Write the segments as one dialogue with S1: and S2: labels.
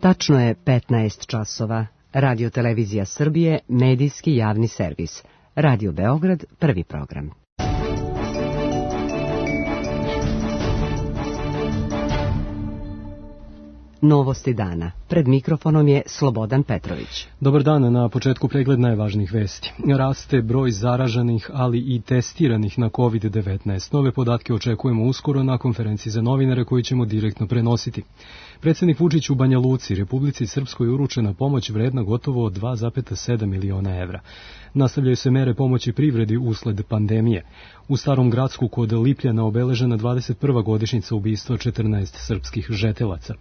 S1: Tačno je 15 časova. Radio Televizija Srbije, medijski javni servis. Radio Beograd, prvi program. Novosti dana. Pred mikrofonom je Slobodan Petrović.
S2: Dobar dan, na početku pregled najvažnijih vesti. Raste broj zaraženih, ali i testiranih na COVID-19. Nove podatke očekujemo uskoro na konferenciji za novinare koji ćemo direktno prenositi. Predsjednik Vučić u Banja Luci, Republici Srpskoj, uručena pomoć vredna gotovo 2,7 miliona evra. Nastavljaju se mere pomoći privredi usled pandemije. U Starom Gradsku kod Lipljana obeležena 21. godišnjica ubistva 14 srpskih žetelaca.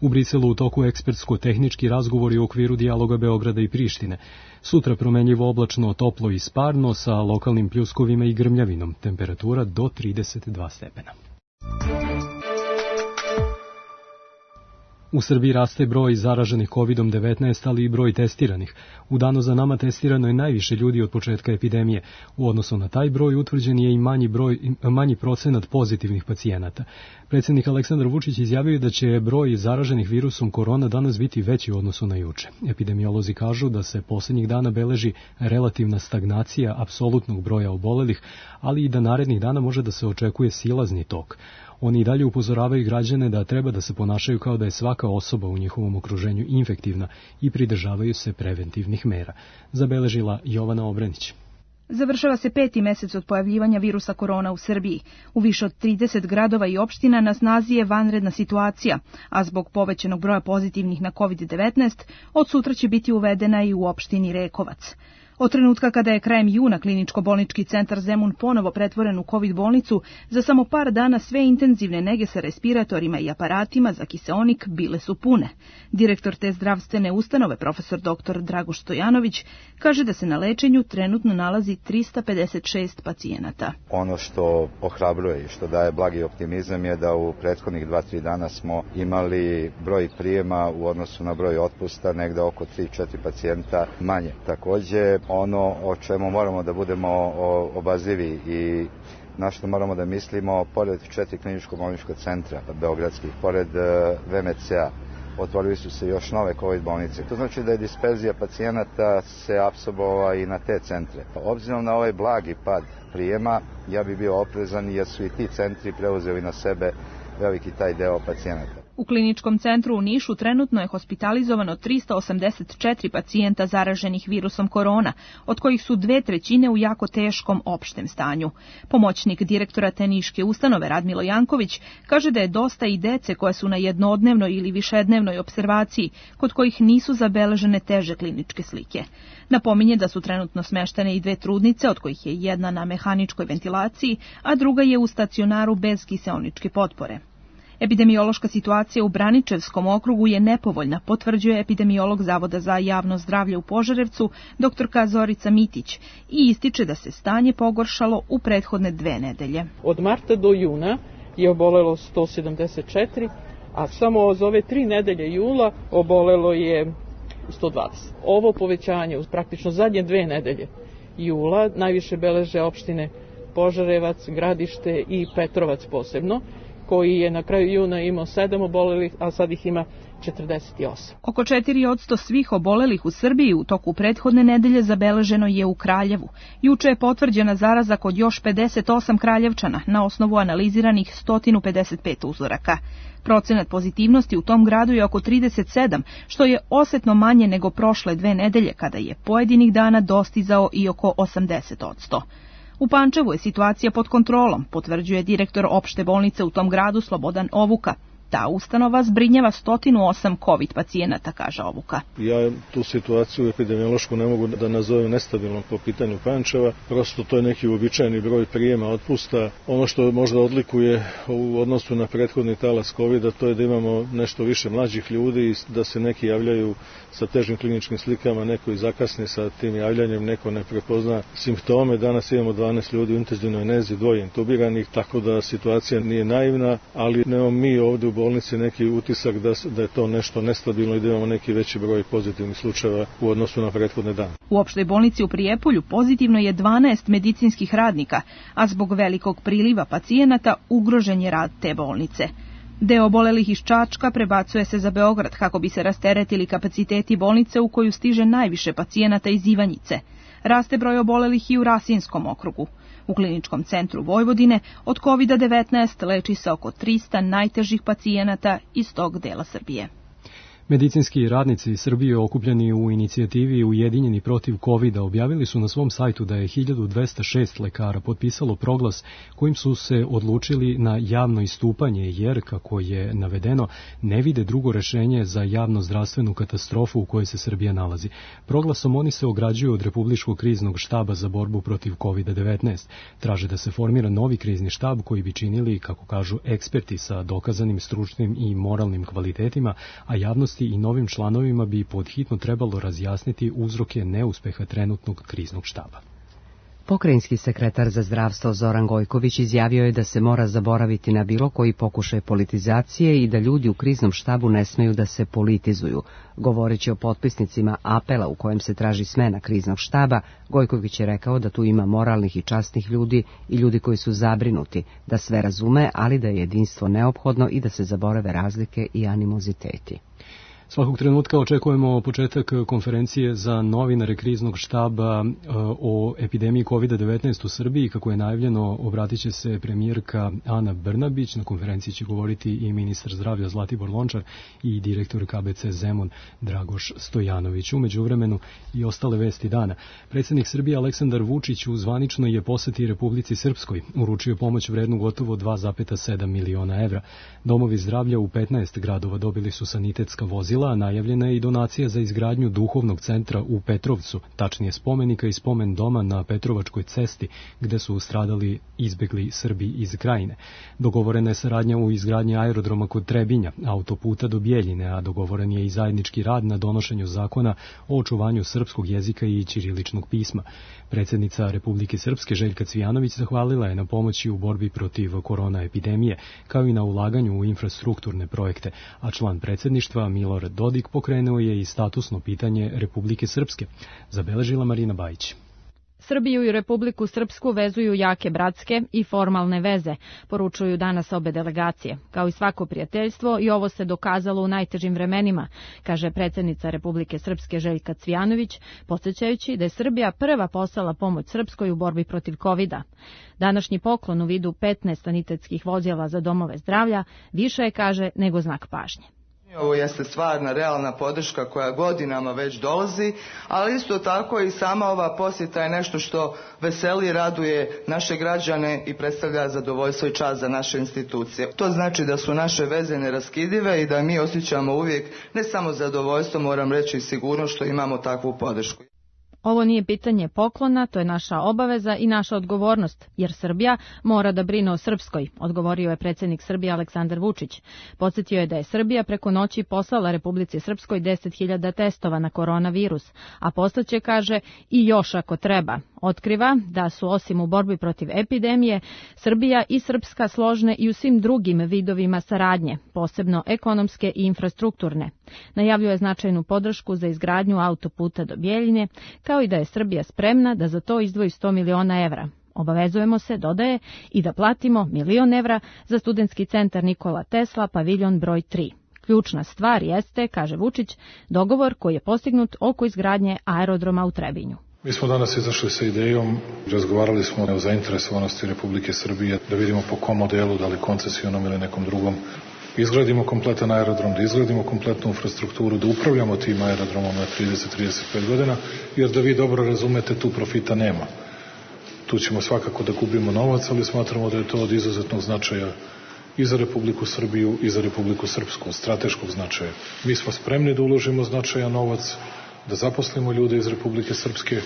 S2: U Briselu u toku ekspertsko-tehnički razgovori u okviru dijaloga Beograda i Prištine. Sutra promenljivo oblačno, toplo i sparno sa lokalnim pljuskovima i grmljavinom. Temperatura do 32 stepena. U Srbiji raste broj zaraženih COVID-19, ali i broj testiranih. U danu za nama testirano je najviše ljudi od početka epidemije. U odnosu na taj broj utvrđen je i manji procenat pozitivnih pacijenata. Predsjednik Aleksandar Vučić izjavio da će broj zaraženih virusom korona danas biti veći u odnosu na juče. Epidemiolozi kažu da se posljednjih dana beleži relativna stagnacija apsolutnog broja obolelih, ali i da narednih dana može da se očekuje silazni tok. Oni i dalje upozoravaju građane da treba da se ponašaju kao da je svaka osoba u njihovom okruženju infektivna i pridržavaju se preventivnih mera. Zabeležila Jovana Obrenić.
S3: Završava se 5. mesec od pojavljivanja virusa korona u Srbiji. U više od 30 gradova i opština na snazi je vanredna situacija, a zbog povećanog broja pozitivnih na COVID-19 od sutra će biti uvedena i u opštini Rekovac. Od trenutka kada je krajem juna kliničko-bolnički centar Zemun ponovo pretvoren u COVID bolnicu, za samo par dana sve intenzivne nege sa respiratorima i aparatima za kiseonik bile su pune. Direktor te zdravstvene ustanove, profesor dr. Dragoš Stojanović, kaže da se na lečenju trenutno nalazi 356 pacijenata.
S4: Ono što ohrabruje i što daje blagi optimizam je da u prethodnih 2-3 dana smo imali broj prijema u odnosu na broj otpusta negde oko 3-4 pacijenta manje. Takođe, ono o čemu moramo da budemo obazrivi i na što moramo da mislimo, pored 4 kliničko-bolnička centra beogradskih, pored VMC-a, otvorili su se još nove COVID bolnice. To znači da je disperzija pacijenata se apsorbova i na te centre. Obzirom na ovaj blagi pad prijema, ja bi bio oprezan jer su i ti centri preuzeli na sebe veliki taj deo pacijenata.
S3: U kliničkom centru u Nišu trenutno je hospitalizovano 384 pacijenta zaraženih virusom korona, od kojih su 2/3 u jako teškom opštem stanju. Pomoćnik direktora te niške ustanove Radmilo Janković kaže da je dosta i dece koje su na jednodnevnoj ili višednevnoj opservaciji, kod kojih nisu zabeležene teže kliničke slike. Napominje da su trenutno smeštene i 2 trudnice, od kojih je jedna na mehaničkoj ventilaciji, a druga je u stacionaru bez kiseoničke potpore. Epidemiološka situacija u Braničevskom okrugu je nepovoljna, potvrđuje epidemiolog Zavoda za javno zdravlje u Požarevcu, dr. Zorica Mitić, i ističe da se stanje pogoršalo u prethodne 2 nedelje.
S5: Od marta do juna je obolelo 174, a samo od ove 3 nedelje jula obolelo je 120. Ovo povećanje, praktično zadnje 2 nedelje jula, najviše beleže opštine Požarevac, Gradište i Petrovac posebno, koji je na kraju juna imao 7 obolelih, a sad ih ima 48.
S3: Oko 4% svih obolelih u Srbiji u toku prethodne nedelje zabeleženo je u Kraljevu. Juče je potvrđena zaraza kod još 58 Kraljevčana na osnovu analiziranih 155 uzoraka. Procenat pozitivnosti u tom gradu je oko 37, što je osetno manje nego prošle 2 nedelje, kada je pojedinih dana dostizao i oko 80%. U Pančevu je situacija pod kontrolom, potvrđuje direktor opšte bolnice u tom gradu Slobodan Ovuka. Ta ustanova zbrinjava 108 COVID pacijenata, kaže Ovuka.
S6: Ja tu situaciju epidemiološku ne mogu da nazovem nestabilnom po pitanju Pančeva. Prosto to je neki uobičajeni broj prijema otpusta. Ono što možda odlikuje u odnosu na prethodni talas COVID-a, to je da imamo nešto više mlađih ljudi i da se neki javljaju sa težim kliničkim slikama, neko i zakasni sa tim javljanjem, neko ne prepozna simptome. Danas imamo 12 ljudi u intenzivnoj nezi, 2 intubiranih, tako da situacija nije naivna, ali nemamo mi ovdje u bolnici neki utisak da je to nešto nestabilno i da imamo neki veći broj pozitivnih slučajeva u odnosu na prethodne dane.
S3: U opštoj bolnici u Prijepolju pozitivno je 12 medicinskih radnika, a zbog velikog priliva pacijenata ugrožen je rad te bolnice. Deo obolelih iz Čačka prebacuje se za Beograd kako bi se rasteretili kapaciteti bolnice u koju stiže najviše pacijenata iz Ivanjice. Raste broj obolelih i u Rasinskom okrugu. U kliničkom centru Vojvodine od COVID-19 leči se oko 300 najtežih pacijenata iz tog dela Srbije.
S2: Medicinski radnici Srbije okupljeni u inicijativi Ujedinjeni protiv COVID-a objavili su na svom sajtu da je 1206 lekara potpisalo proglas kojim su se odlučili na javno istupanje jer, kako je navedeno, ne vide drugo rešenje za javno-zdravstvenu katastrofu u kojoj se Srbija nalazi. Proglasom oni se ograđuju od Republičkog kriznog štaba za borbu protiv COVID-19. Traže da se formira novi krizni štab koji bi činili, kako kažu, eksperti sa dokazanim stručnim i moralnim kvalitetima, a javnost i novim članovima bi podhitno trebalo razjasniti uzroke neuspeha trenutnog kriznog štaba.
S1: Pokrajinski sekretar za zdravstvo Zoran Gojković izjavio je da se mora zaboraviti na bilo koji pokušaj politizacije i da ljudi u kriznom štabu ne smeju da se politizuju. Govoreći o potpisnicima apela u kojem se traži smena kriznog štaba, Gojković je rekao da tu ima moralnih i časnih ljudi i ljudi koji su zabrinuti, da sve razume, ali da je jedinstvo neophodno i da se zaborave razlike i animoziteti.
S2: Svakog trenutka očekujemo početak konferencije za novinare kriznog štaba o epidemiji COVID-19 u Srbiji. Kako je najavljeno, obratit će se premijerka Ana Brnabić. Na konferenciji će govoriti i ministar zdravlja Zlatibor Lončar i direktor KBC Zemun Dragoš Stojanović. U međuvremenu i ostale vesti dana. Predsjednik Srbije Aleksandar Vučić u zvaničnoj je poseti Republici Srpskoj. Uručio pomoć vrednu gotovo 2,7 miliona evra. Domovi zdravlja u 15 gradova dobili su sanitetska vozila, a najavljena je i donacija za izgradnju duhovnog centra u Petrovcu, tačnije spomenika i spomen doma na Petrovačkoj cesti, gde su stradali izbegli Srbi iz Krajine. Dogovorena je saradnja u izgradnji aerodroma kod Trebinja, autoputa do Bjeljine, a dogovoren je i zajednički rad na donošenju zakona o očuvanju srpskog jezika i ćiriličnog pisma. Predsjednica Republike Srpske Željka Cvijanović zahvalila je na pomoći u borbi protiv korona epidemije, kao i na ulaganju u infrastrukturne projekte, a član predsjedništva Milorad Dodik pokrenuo je i statusno pitanje Republike Srpske, zabeležila Marina Bajić.
S7: Srbiju i Republiku Srpsku vezuju jake bratske i formalne veze, poručuju danas obe delegacije. Kao i svako prijateljstvo, i ovo se dokazalo u najtežim vremenima, kaže predsjednica Republike Srpske Željka Cvijanović, podsjećajući da je Srbija prva poslala pomoć Srpskoj u borbi protiv COVID-a. Današnji poklon u vidu 15 sanitetskih vozila za domove zdravlja više je, kaže, nego znak pažnje.
S8: Ovo jeste stvarna, realna podrška koja godinama već dolazi, ali isto tako i sama ova posjeta je nešto što veseli i raduje naše građane i predstavlja zadovoljstvo i čast za naše institucije. To znači da su naše veze neraskidive i da mi osjećamo uvijek ne samo zadovoljstvo, moram reći i sigurnost što imamo takvu podršku.
S7: Ovo nije pitanje poklona, to je naša obaveza i naša odgovornost, jer Srbija mora da brine o Srpskoj, odgovorio je predsjednik Srbije Aleksandar Vučić. Podsjetio je da je Srbija preko noći poslala Republici Srpskoj 10.000 testova na koronavirus, a poslaće, kaže, i još ako treba. Otkriva da su osim u borbi protiv epidemije, Srbija i Srpska složne i u svim drugim vidovima saradnje, posebno ekonomske i infrastrukturne. Najavljuje značajnu podršku za izgradnju autoputa do Bjeljine, kao i da je Srbija spremna da za to izdvoji 100 miliona evra. Obavezujemo se, dodaje, i da platimo 1.000.000 evra za studentski centar Nikola Tesla, paviljon broj 3. Ključna stvar jeste, kaže Vučić, dogovor koji je postignut oko izgradnje aerodroma u Trebinju.
S9: Mi smo danas izašli sa idejom, razgovarali smo o zainteresovanosti Republike Srbije, da vidimo po kom modelu, da li koncesionom ili nekom drugom, izgradimo kompletan aerodrom, da izgradimo kompletnu infrastrukturu, da upravljamo tim aerodromom na 30-35 godina, jer da vi dobro razumete, tu profita nema. Tu ćemo svakako da gubimo novac, ali smatramo da je to od izuzetnog značaja i za Republiku Srbiju i za Republiku Srpsku, od strateškog značaja. Mi smo spremni da uložimo značajan novac, da zaposlimo ljude iz Republike Srpske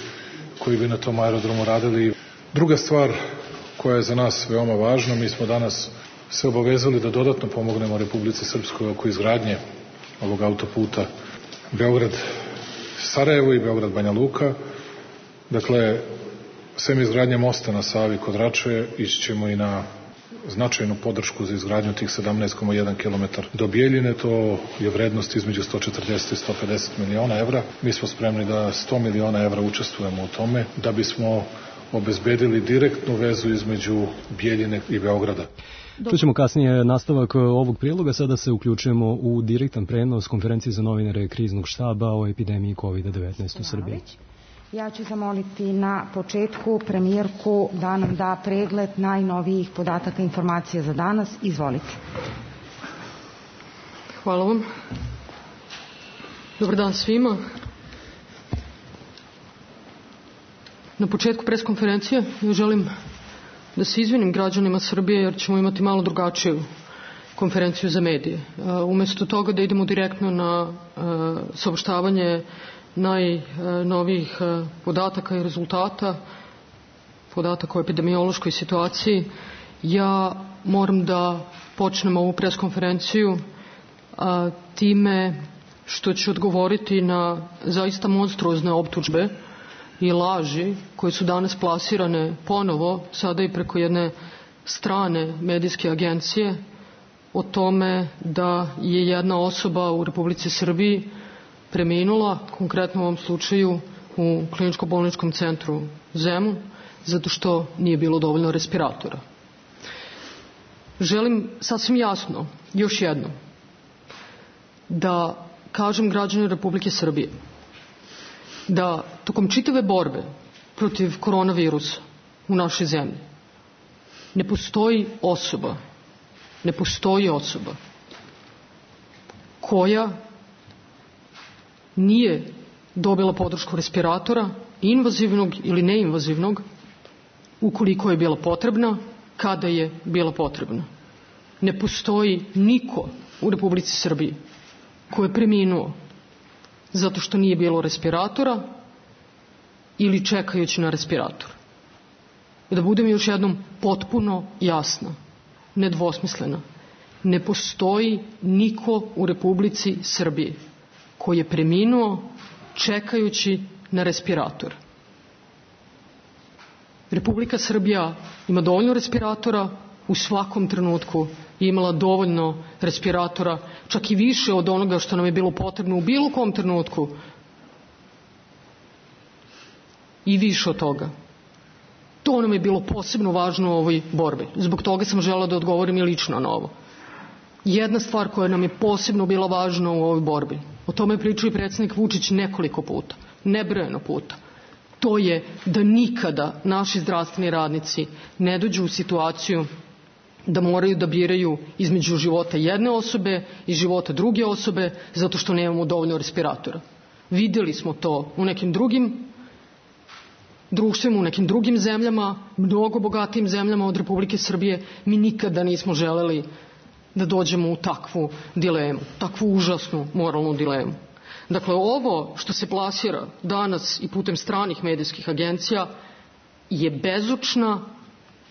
S9: koji bi na tom aerodromu radili. Druga stvar koja je za nas veoma važna, mi smo danas se obavezali da dodatno pomognemo Republici Srpskoj oko izgradnje ovog autoputa Beograd-Sarajevo i Beograd-Banja Luka. Dakle, sem izgradnje mosta na Savi kod Rače, ići ćemo i na značajnu podršku za izgradnju tih 17,1 km do Bjeljine. To je vrednost između 140 i 150 miliona evra. Mi smo spremni da 100 miliona evra učestvujemo u tome, da bismo obezbedili direktnu vezu između Bjeljine i Beograda.
S2: Čućemo kasnije nastavak ovog priloga, sada se uključujemo u direktan prenos konferencije za novinare kriznog štaba o epidemiji COVID-19 u Srbiji.
S10: Ja ću zamoliti na početku premijerku da nam da pregled najnovijih podataka i informacija za danas. Izvolite.
S11: Hvala vam. Dobar dan svima. Na početku preskonferencije ja želim da se izvinim građanima Srbije jer ćemo imati malo drugačiju konferenciju za medije. Umesto toga da idemo direktno na saopštavanje najnovijih podataka i rezultata, podataka o epidemiološkoj situaciji, ja moram da počnem ovu preskonferenciju time što ću odgovoriti na zaista monstruozne optužbe i laži koje su danas plasirane ponovo, sada i preko jedne strane medijske agencije, o tome da je jedna osoba u Republici Srbiji preminula, konkretno u ovom slučaju u kliničko-bolničkom centru Zemun, zato što nije bilo dovoljno respiratora. Želim sasvim jasno, još jednom, da kažem građanima Republike Srbije da tokom čitave borbe protiv koronavirusa u našoj zemlji ne postoji osoba koja nije dobila podršku respiratora, invazivnog ili neinvazivnog, ukoliko je bila potrebna, kada je bila potrebna. Ne postoji niko u Republici Srbiji ko je preminuo zato što nije bilo respiratora ili čekajući na respirator. Da budem još jednom potpuno jasna, nedvosmislena, ne postoji niko u Republici Srbiji koji je preminuo čekajući na respirator. Republika Srbija ima dovoljno respiratora, u svakom trenutku je imala dovoljno respiratora, čak i više od onoga što nam je bilo potrebno u bilo kom trenutku i više od toga. To nam je bilo posebno važno u ovoj borbi. Zbog toga sam želela da odgovorim i lično na ovo. Jedna stvar koja nam je posebno bila važna u ovoj borbi, o tome je pričao i predsjednik Vučić nekoliko puta, nebrojeno puta, to je da nikada naši zdravstveni radnici ne dođu u situaciju da moraju da biraju između života jedne osobe i života druge osobe zato što nemamo dovoljno respiratora. Vidjeli smo to u nekim drugim društvima, u nekim drugim zemljama, mnogo bogatijim zemljama od Republike Srbije. Mi nikada nismo želeli da dođemo u takvu dilemu, takvu užasnu moralnu dilemu. Dakle, ovo što se plasira danas i putem stranih medijskih agencija je bezočna,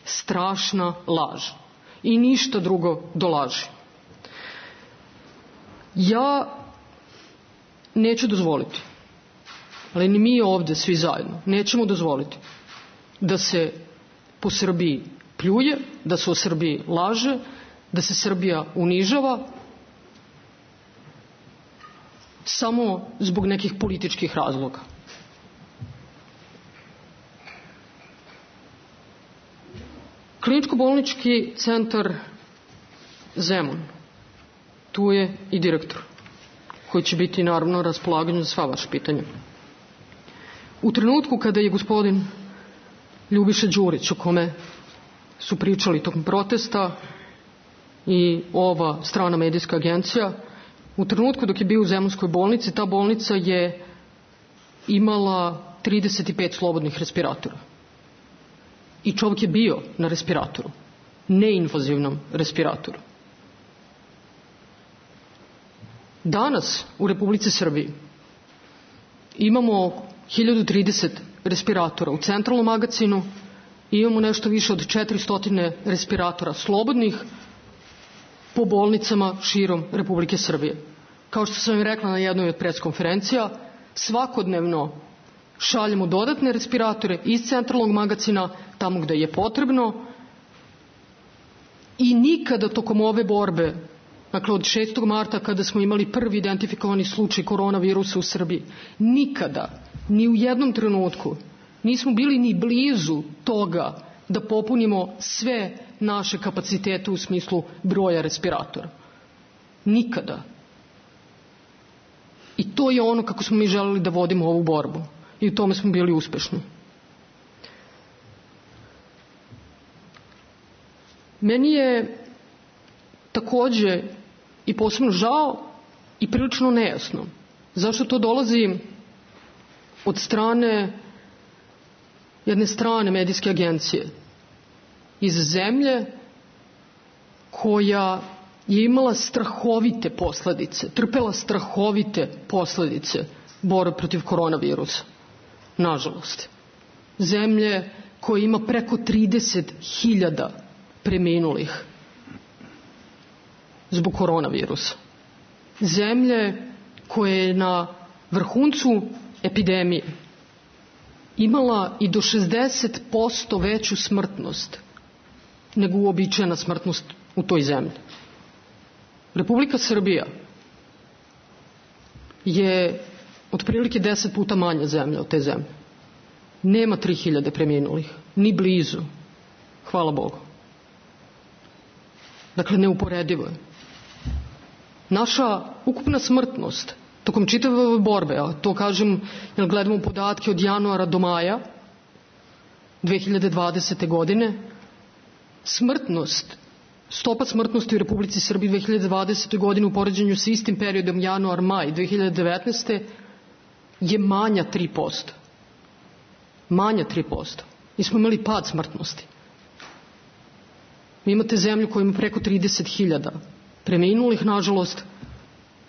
S11: strašna laž. I ništa drugo do laži. Ja neću dozvoliti, ali ni mi ovdje svi zajedno nećemo dozvoliti da se po Srbiji pljuje, da se o Srbiji laže, da se Srbija unižava samo zbog nekih političkih razloga. Kliničko-bolnički centar Zemun, tu je i direktor koji će biti naravno na raspolaganju za sva vaša pitanja. U trenutku kada je gospodin Ljubiša Đurić, o kome su pričali tokom protesta i ova strana medijska agencija, u trenutku dok je bio u Zemunskoj bolnici, ta bolnica je imala 35 slobodnih respiratora. I čovjek je bio na respiratoru, neinvazivnom respiratoru. Danas u Republici Srbiji imamo 1030 respiratora u centralnom magacinu i imamo nešto više od 400 respiratora slobodnih po bolnicama širom Republike Srbije. Kao što sam im rekla na jednoj od preskonferencija, svakodnevno šaljemo dodatne respiratore iz centralnog magacina tamo gde je potrebno i nikada tokom ove borbe, dakle od 6. marta kada smo imali prvi identifikovani slučaj koronavirusa u Srbiji, nikada, ni u jednom trenutku nismo bili ni blizu toga da popunimo sve naše kapacitete u smislu broja respiratora. Nikada. I to je ono kako smo mi želeli da vodimo ovu borbu. I u tome smo bili uspešni. Meni je takođe i posebno žao i prilično nejasno zašto to dolazi od strane jedne strane medijske agencije iz zemlje koja je imala strahovite posledice, trpela strahovite posledice borbe protiv koronavirusa. Nažalost. Zemlje koja ima preko 30.000 preminulih zbog koronavirusa. Zemlje koja je na vrhuncu epidemije imala i do 60% veću smrtnost nego uobičajena smrtnost u toj zemlji. Republika Srbija je otprilike 10 puta manja zemlja od te zemlje. Nema 3.000 preminulih, ni blizu. Hvala Bogu. Dakle, neuporedivo je. Naša ukupna smrtnost tokom čitave ove borbe, a to kažem jer gledamo podatke od januara do maja 2020. godine, stopa smrtnosti u Republici Srbiji 2020. godine u poređenju sa istim periodom januar-maj 2019. je manja 3%. Manja 3%. Mi smo imali pad smrtnosti. Vi imate zemlju koja ima preko 30.000 preminulih, nažalost,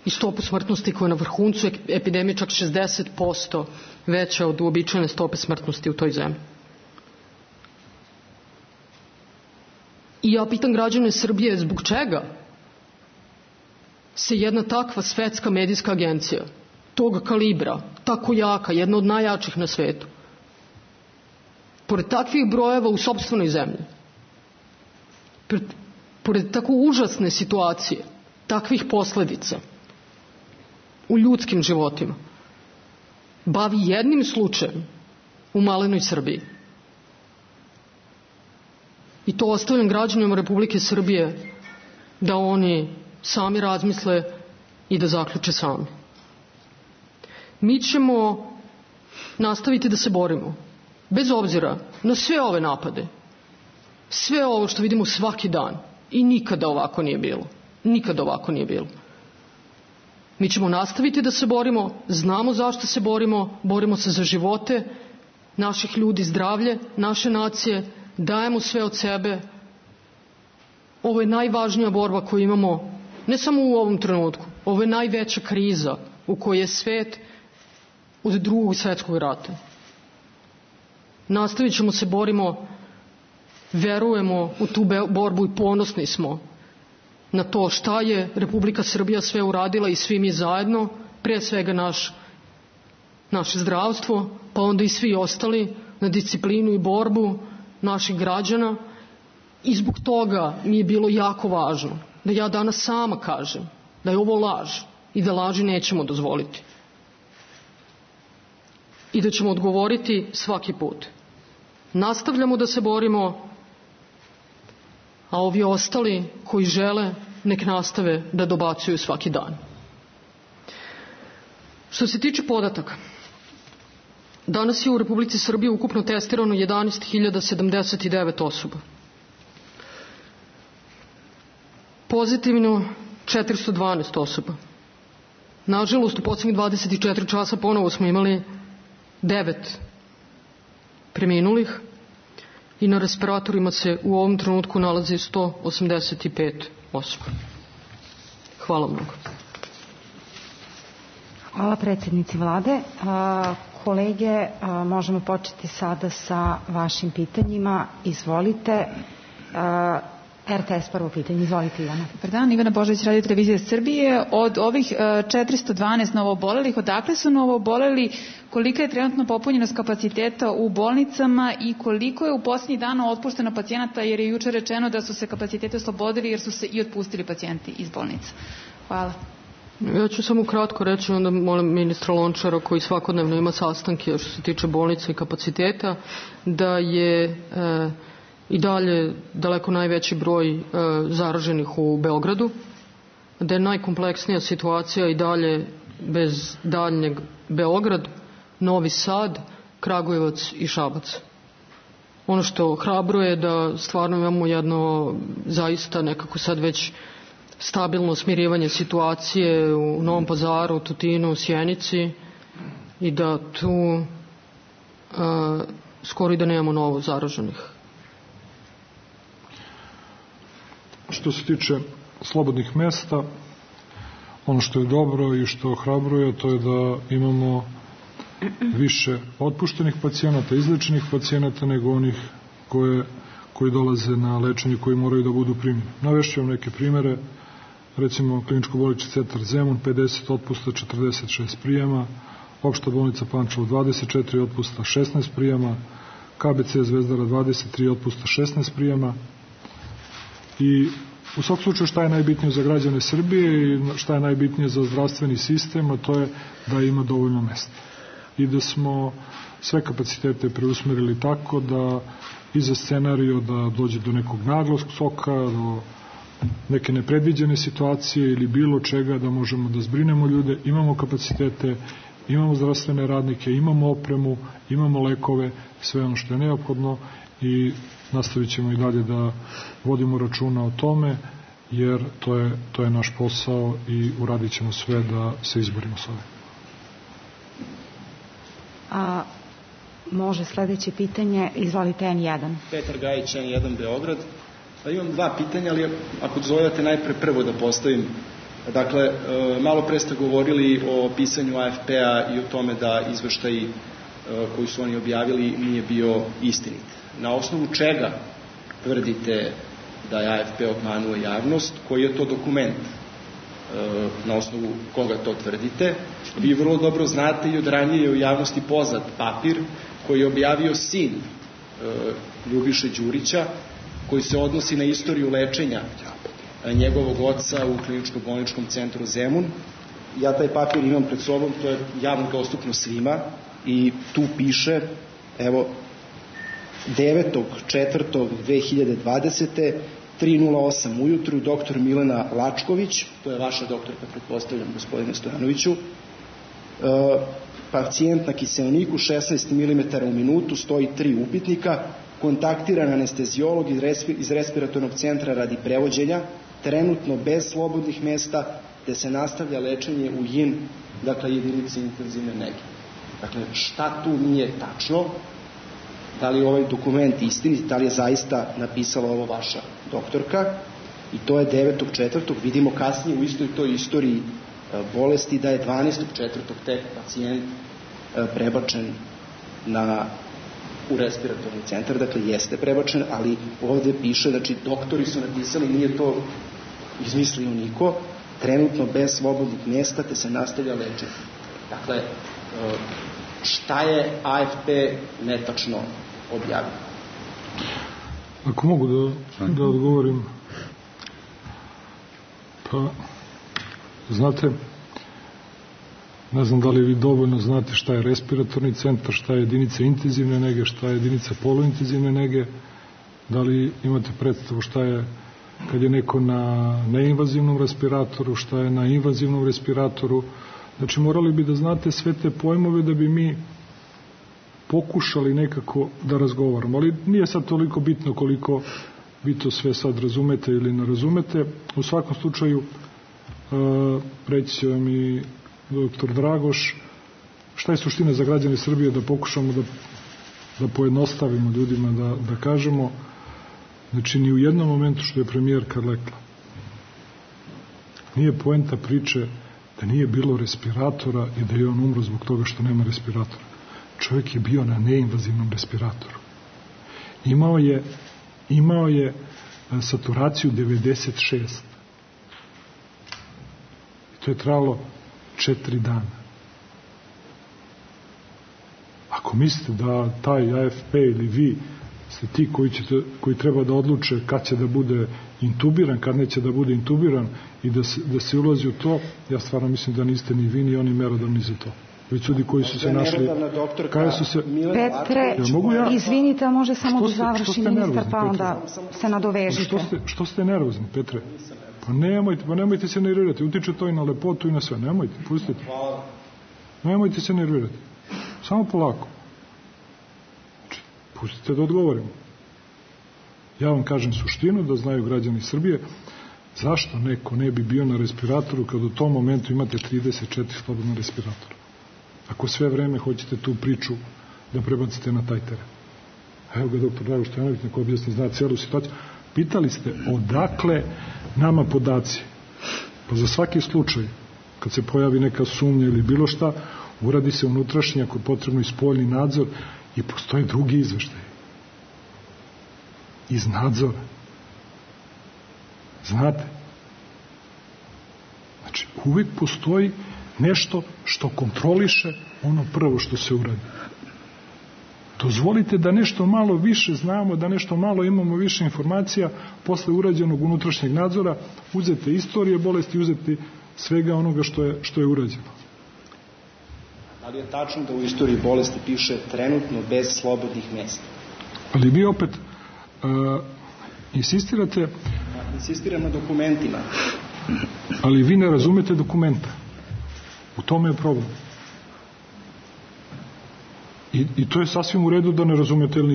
S11: i stopu smrtnosti koja je na vrhuncu epidemije čak 60% veća od uobičajene stope smrtnosti u toj zemlji. I ja pitam građane Srbije zbog čega se jedna takva svetska medijska agencija tog kalibra, tako jaka, jedna od najjačih na svetu, pored takvih brojeva u sopstvenoj zemlji, pored tako užasne situacije, takvih posledica u ljudskim životima, bavi jednim slučajem u malenoj Srbiji. I to ostavljam građanima Republike Srbije da oni sami razmisle i da zaključe sami. Mi ćemo nastaviti da se borimo, bez obzira na sve ove napade, sve ovo što vidimo svaki dan, i nikada ovako nije bilo. Nikada ovako nije bilo. Mi ćemo nastaviti da se borimo, znamo zašto se borimo se za živote naših ljudi, zdravlje naše nacije, dajemo sve od sebe. Ovo je najvažnija borba koju imamo, ne samo u ovom trenutku, ovo je najveća kriza u kojoj je svet od Drugog svjetskog rata. Nastavit ćemo se borimo, verujemo u tu borbu i ponosni smo na to šta je Republika Srbija sve uradila i svi mi zajedno, pre svega naše zdravstvo, pa onda i svi ostali, na disciplinu i borbu naših građana. I zbog toga mi je bilo jako važno da ja danas sama kažem da je ovo laž i da laži nećemo dozvoliti. I da ćemo odgovoriti svaki put. Nastavljamo da se borimo, a ovi ostali koji žele nek nastave da dobacuju svaki dan. Što se tiče podataka, danas je u Republici Srbiji ukupno testirano 11.079 osoba. Pozitivno 412 osoba. Nažalost, u poslednjih 24 časa ponovo smo imali 9 preminulih i na respiratorima se u ovom trenutku nalazi 185 osoba. Hvala mnogo.
S10: Hvala predsjednici vlade. Kolege, možemo početi sada sa vašim pitanjima. Izvolite. RTS prvo pitanje. Izvolite, Ivana.
S12: Dobar dan, Ivana Božović, Radio Televizija Srbije. Od ovih 412 novoobolelih, odakle su novooboleli, kolika je trenutno popunjenost kapaciteta u bolnicama i koliko je u posljednjih dana otpušteno pacijenata, jer je juče rečeno da su se kapacitete oslobodili jer su se i otpustili pacijenti iz bolnica. Hvala.
S11: Ja ću samo kratko reći, onda molim ministra Lončara, koji svakodnevno ima sastanke što se tiče bolnica i kapaciteta, da je i dalje daleko najveći broj zaraženih u Beogradu, da je najkompleksnija situacija i dalje bez daljnjeg Beograd, Novi Sad, Kragujevac i Šabac. Ono što hrabruje je da stvarno imamo jedno zaista nekako sad već stabilno smirivanje situacije u Novom Pazaru, Tutinu, Sjenici i da tu skoro i da nemamo novo zaraženih.
S9: Što se tiče slobodnih mesta, ono što je dobro i što ohrabruje, to je da imamo više otpuštenih pacijenata, izlečenih pacijenata nego onih koji dolaze na lečenje, koji moraju da budu primljeni. Navešću vam neke primere, recimo kliničko-bolnički centar Zemun, 50 otpusta, 46 prijema, opšta bolnica Pančevo 24 otpusta, 16 prijema, KBC Zvezdara 23 otpusta, 16 prijema. I u svakom slučaju šta je najbitnije za građane Srbije i šta je najbitnije za zdravstveni sistem, a to je da ima dovoljno mesta. I da smo sve kapacitete preusmerili tako da i za scenariju da dođe do nekog naglog skoka, do neke nepredviđene situacije ili bilo čega, da možemo da zbrinemo ljude, imamo kapacitete, imamo zdravstvene radnike, imamo opremu, imamo lekove, sve ono što je neophodno i nastavit ćemo i dalje da vodimo računa o tome, jer to je naš posao i uradit ćemo sve da se izborimo s ovim.
S10: Može sledeće pitanje, izvolite N1.
S13: Petar Gajić, N1 Beograd. Imam dva pitanja, ali ako dozvoljate najpre prvo da postavim. Dakle, malo pre ste govorili o pisanju AFP-a i o tome da izveštaj koji su oni objavili nije bio istinit. Na osnovu čega tvrdite da je AFP obmanuo javnost? Koji je to dokument? Na osnovu koga to tvrdite? Vi vrlo dobro znate i od ranije je u javnosti poznat papir koji je objavio sin Ljubiše Đurića, koji se odnosi na istoriju lečenja njegovog oca u kliničko-bolničkom centru Zemun. Ja taj papir imam pred sobom, to je javno dostupno svima i tu piše, evo, 9.4.2020. 3:08 ujutru, doktor Milena Lačković, to je vaša doktorka, pretpostavljam, gospodine Stojanoviću, pacijent na kiseoniku 16 mm u minutu, stoji 3 upitnika, kontaktiran anestezijolog iz respiratornog centra radi prevođenja, trenutno bez slobodnih mesta, te se nastavlja lečenje u JIN, dakle jedinici intenzivne nege. Dakle, šta tu nije tačno? Da li je ovaj dokument istinit, da li je zaista napisala ovo vaša doktorka? I to je 9.4. Vidimo kasnije u istoj toj istoriji bolesti da je 12.4. tek pacijent prebačen u respiratorni centar, dakle jeste prebačen, ali ovde piše, znači doktori su napisali, nije to izmislio niko, trenutno bez slobodnih mjesta, te se nastavlja lečenje. Dakle, šta je AFP netačno objavio?
S9: Ako mogu da odgovorim, pa znate, ne znam da li vi dovoljno znate šta je respiratorni centar, šta je jedinica intenzivne nege, šta je jedinica poluintenzivne nege, da li imate predstavu šta je kad je neko na neinvazivnom respiratoru, šta je na invazivnom respiratoru. Znači morali bi da znate sve te pojmove da bi mi pokušali nekako da razgovaramo, ali nije sad toliko bitno koliko vi to sve sad razumete ili ne razumete. U svakom slučaju reći će vam i doktor Dragoš šta je suština za građane Srbije, da pokušamo da pojednostavimo ljudima, da kažemo, znači ni u jednom momentu što je premijerka rekla nije poenta priče da nije bilo respiratora i da je on umro zbog toga što nema respiratora. Čovjek je bio na neinvazivnom respiratoru. Imao je saturaciju 96. I to je trajalo 4 dana. Ako mislite da taj AFP ili vi ste ti koji treba da odluče kad će da bude intubiran, kad neće da bude intubiran i da se ulazi u to, ja stvarno mislim da niste ni vi ni oni merodavni za to.
S6: već ljudi koji su se našli...
S10: Petre, izvinite, a može samo da završi ministar, pa onda se nadovežite.
S6: Što ste nervozni, Petre? Pa nemojte se nervirati, utiče to i na lepotu i na sve, nemojte, pustite. Nemojte se nervirati, samo polako. Znači, pustite da odgovorimo. Ja vam kažem suštinu, da znaju građani Srbije, zašto neko ne bi bio na respiratoru kad u tom momentu imate 34 slobodna respiratora. Ako sve vreme hoćete tu priču da prebacite na taj teren. Evo ga doktor Drago Stojanović, neko objasni, zna cijelu situaciju. Pitali ste odakle nama podaci. Pa za svaki slučaj, kad se pojavi neka sumnja ili bilo šta, uradi se unutrašnji, ako je potrebno i spoljni nadzor, i postoje drugi izveštaji. Iz nadzora. Znate? Znači, uvijek postoji nešto što kontroliše ono prvo što se uradi. Dozvolite da nešto malo više znamo, da nešto malo imamo više informacija posle urađenog unutrašnjeg nadzora, uzete istorije bolesti, uzeti svega onoga što je urađeno.
S13: Da li je tačno da u istoriji bolesti piše trenutno bez slobodnih mjesta?
S6: Ali vi opet insistirate...
S13: Insistiram na dokumentima.
S6: Ali vi ne razumete dokumenta. U tome je problem. I to je sasvim u redu da ne razumete, jer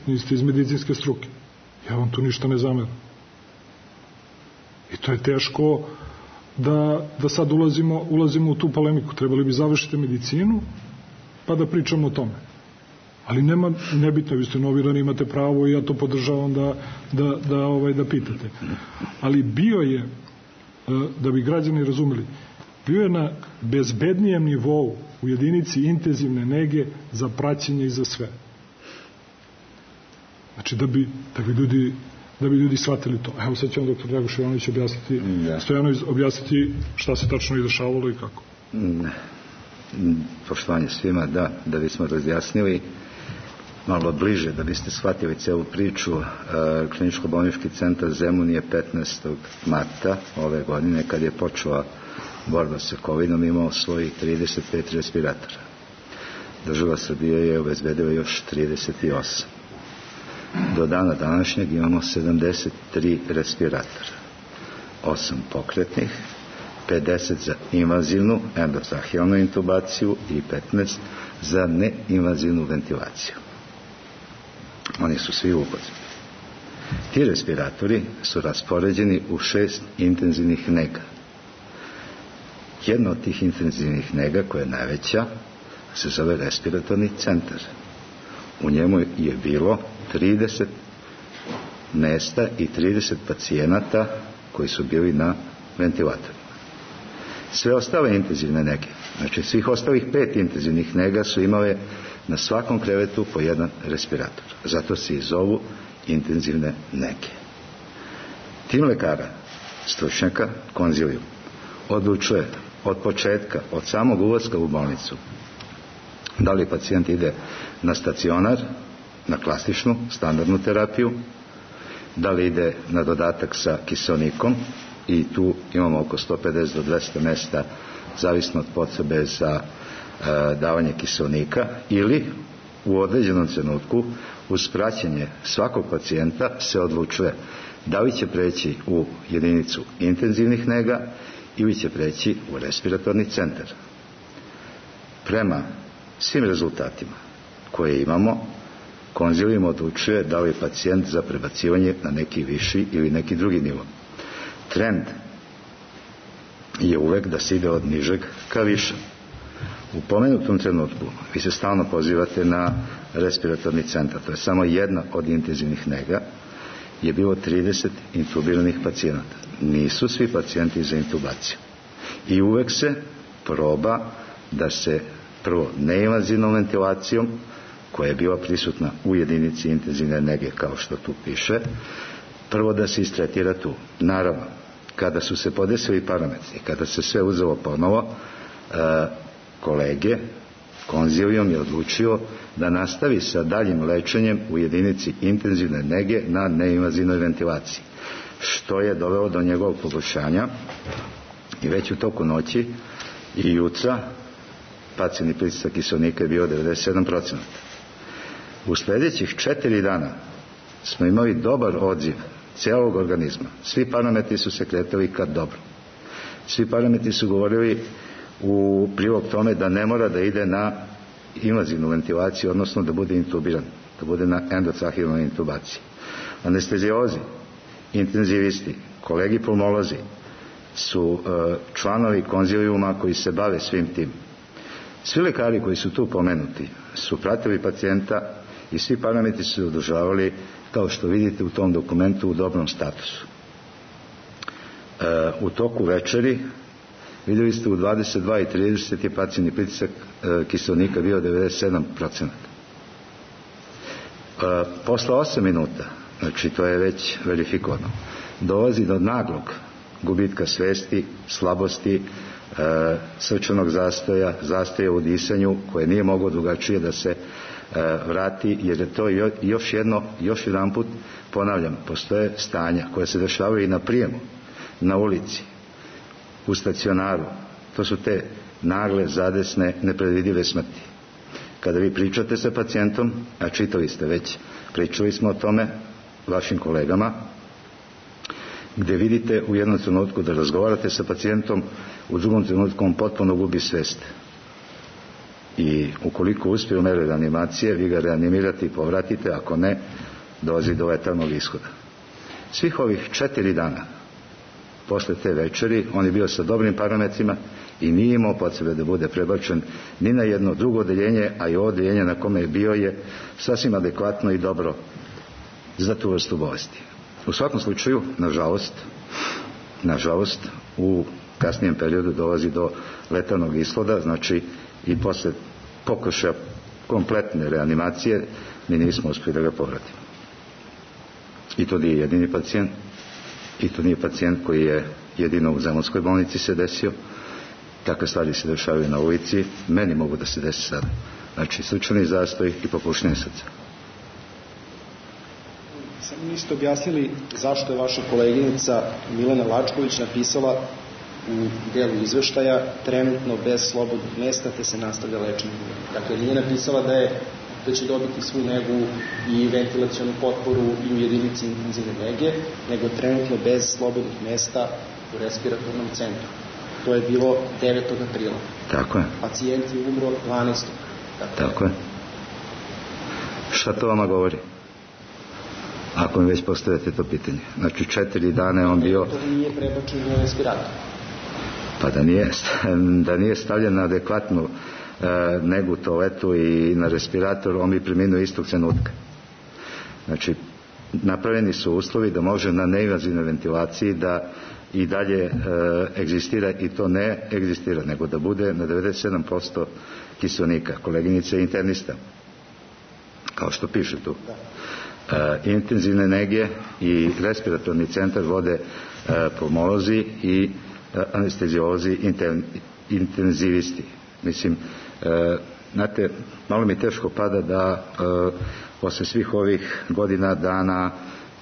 S6: niste iz medicinske struke. Ja vam tu ništa ne zameram. I to je teško da sad ulazimo u tu polemiku. Trebali bi završiti medicinu pa da pričamo o tome. Ali nebitno, vi ste novinari, imate pravo i ja to podržavam da pitate. Ali bio je, da bi građani razumeli, bio je na bezbednijem nivou u jedinici intenzivne nege za praćenje i za sve. Znači da bi ljudi shvatili to. Evo sad će vam doktor Drago Stojanović objasniti šta se tačno izdešavalo i kako.
S4: Poštovanje svima, da bismo razjasnili malo bliže, da biste shvatili celu priču. Kliničko-bolnički centar Zemun je 15. marta ove godine, kad je počela borba sa COVID-om, imao svojih 35 respiratora. Država Srbije je obezbedila još 38. Do dana današnjeg imamo 73 respiratora. 8 pokretnih, 50 za invazivnu endotrahealnu intubaciju i 15 za neinvazivnu ventilaciju. Oni su svi upotrebni. Ti respiratori su raspoređeni u 6 intenzivnih nega. Jedna od tih intenzivnih nega, koja je najveća, se zove respiratorni centar. U njemu je bilo 30 mesta i 30 pacijenata koji su bili na ventilatorima. Sve ostale intenzivne nege, znači svih ostalih 5 intenzivnih nega, su imale na svakom krevetu po jedan respirator. Zato se i zovu intenzivne nege. Tim lekara, stručnjaka, konzilijum, odlučuje od početka, od samog ulaska u bolnicu, da li pacijent ide na stacionar, na klasičnu, standardnu terapiju, da li ide na dodatak sa kiseonikom, i tu imamo oko 150 do 200 mesta, zavisno od potrebe za davanje kiseonika, ili u određenom trenutku uz praćenje svakog pacijenta se odlučuje da li će preći u jedinicu intenzivnih nega ili će preći u respiratorni centar. Prema svim rezultatima koje imamo, konzilijum odlučuje da li je pacijent za prebacivanje na neki viši ili neki drugi nivo. Trend je uvek da se ide od nižeg ka višem. U pomenutom trenutku vi se stalno pozivate na respiratorni centar, to je samo jedna od intenzivnih nega, je bilo 30 intubiranih pacijenata. Nisu svi pacijenti za intubaciju. I uvek se proba da se prvo neinvazivnom ventilacijom, koja je bila prisutna u jedinici intenzivne nege, kao što tu piše, prvo da se istretira tu. Naravno, kada su se podesili parametri, kada se sve uzelo ponovo, kolege, konzilijum je odlučio da nastavi sa daljim lečenjem u jedinici intenzivne nege na neinvazivnoj ventilaciji, što je dovelo do njegovog poboljšanja, i već u toku noći i jutra pasivni pritisak kiseonika je bio 97%. U sljedećih 4 dana smo imali dobar odziv cijelog organizma. Svi parametri su se kretali kad dobro. Svi parametri su govorili u prilog tome da ne mora da ide na invazivnu ventilaciju, odnosno da bude intubiran, da bude na endotrahejnoj intubaciji. Anesteziolozi, intenzivisti, kolegi pulmolozi su članovi konzilijuma koji se bave svim tim. Svi lekari koji su tu pomenuti su pratili pacijenta i svi parametri su se održavali, kao što vidite u tom dokumentu, u dobrom statusu. U toku večeri vidjeli ste u 22:30 je pasivni pritisak kiseonika bio 97%. Posle 8 minuta, znači to je već verifikovano, dolazi do naglog gubitka svesti, slabosti, srčanog zastoja u disanju, koje nije moglo drugačije da se vrati, jer je to još jedan put, ponavljam, postoje stanja koja se dešavaju i na prijemu, na ulici, u stacionaru. To su te nagle, zadesne, nepredvidive smrti. Kada vi pričate sa pacijentom, a čitali ste već, pričali smo o tome vašim kolegama, gdje vidite u jednom trenutku da razgovarate sa pacijentom, u drugom trenutku on potpuno gubi svest. I ukoliko uspije u meri reanimacije, vi ga reanimirate i povratite, ako ne, dolazi do letalnog ishoda. Svih ovih 4 dana posle te večeri on je bio sa dobrim parametrima i nije imao potrebe da bude prebačen ni na jedno drugo odeljenje, a i ovo odeljenje na kome je bio je sasvim adekvatno i dobro za tu vrstu bolesti. U svakom slučaju, nažalost, u kasnijem periodu dolazi do letalnog ishoda, znači i posle pokušaja kompletne reanimacije mi nismo uspjeli da ga povratimo. I to nije jedini pacijent, i to nije pacijent koji je jedino u Zemunskoj bolnici se desio. Takve stvari se dešavaju na ulici, meni mogu da se desi sada. Znači, srčani zastoj i popuštanje srca.
S13: Samo niste objasnili zašto je vaša koleginica Milena Lačković napisala u delu izveštaja trenutno bez slobodnih mesta te se nastavlja lečenje. Dakle, nije napisala da će dobiti svu negu i ventilacionu potporu i u jedinici intenzivne nege, nego trenutno bez slobodnih mesta u respiratornom centru. To je bilo 9. aprila.
S4: Tako je.
S13: Pacijent je umro 12.
S4: Tako je. Šta to vama govori? Ako mi već postavljate to pitanje. Znači 4 dana je on bio...
S13: To nije prebačen na respirator.
S4: Pa da nije stavljen na adekvatnu negu toaletu i na respirator, on bi preminuo istog trenutka. Znači, napravljeni su uslovi da može na neinvazivnoj ventilaciji da i dalje egzistira, i to ne egzistira, nego da bude na 97% kiseonika. Koleginica je internista, kao što piše tu. Intenzivne nege i respiratorni centar vode pulmolozi i anesteziolozi, intenzivisti. Mislim, znate, malo mi teško pada da posle svih ovih godina, dana,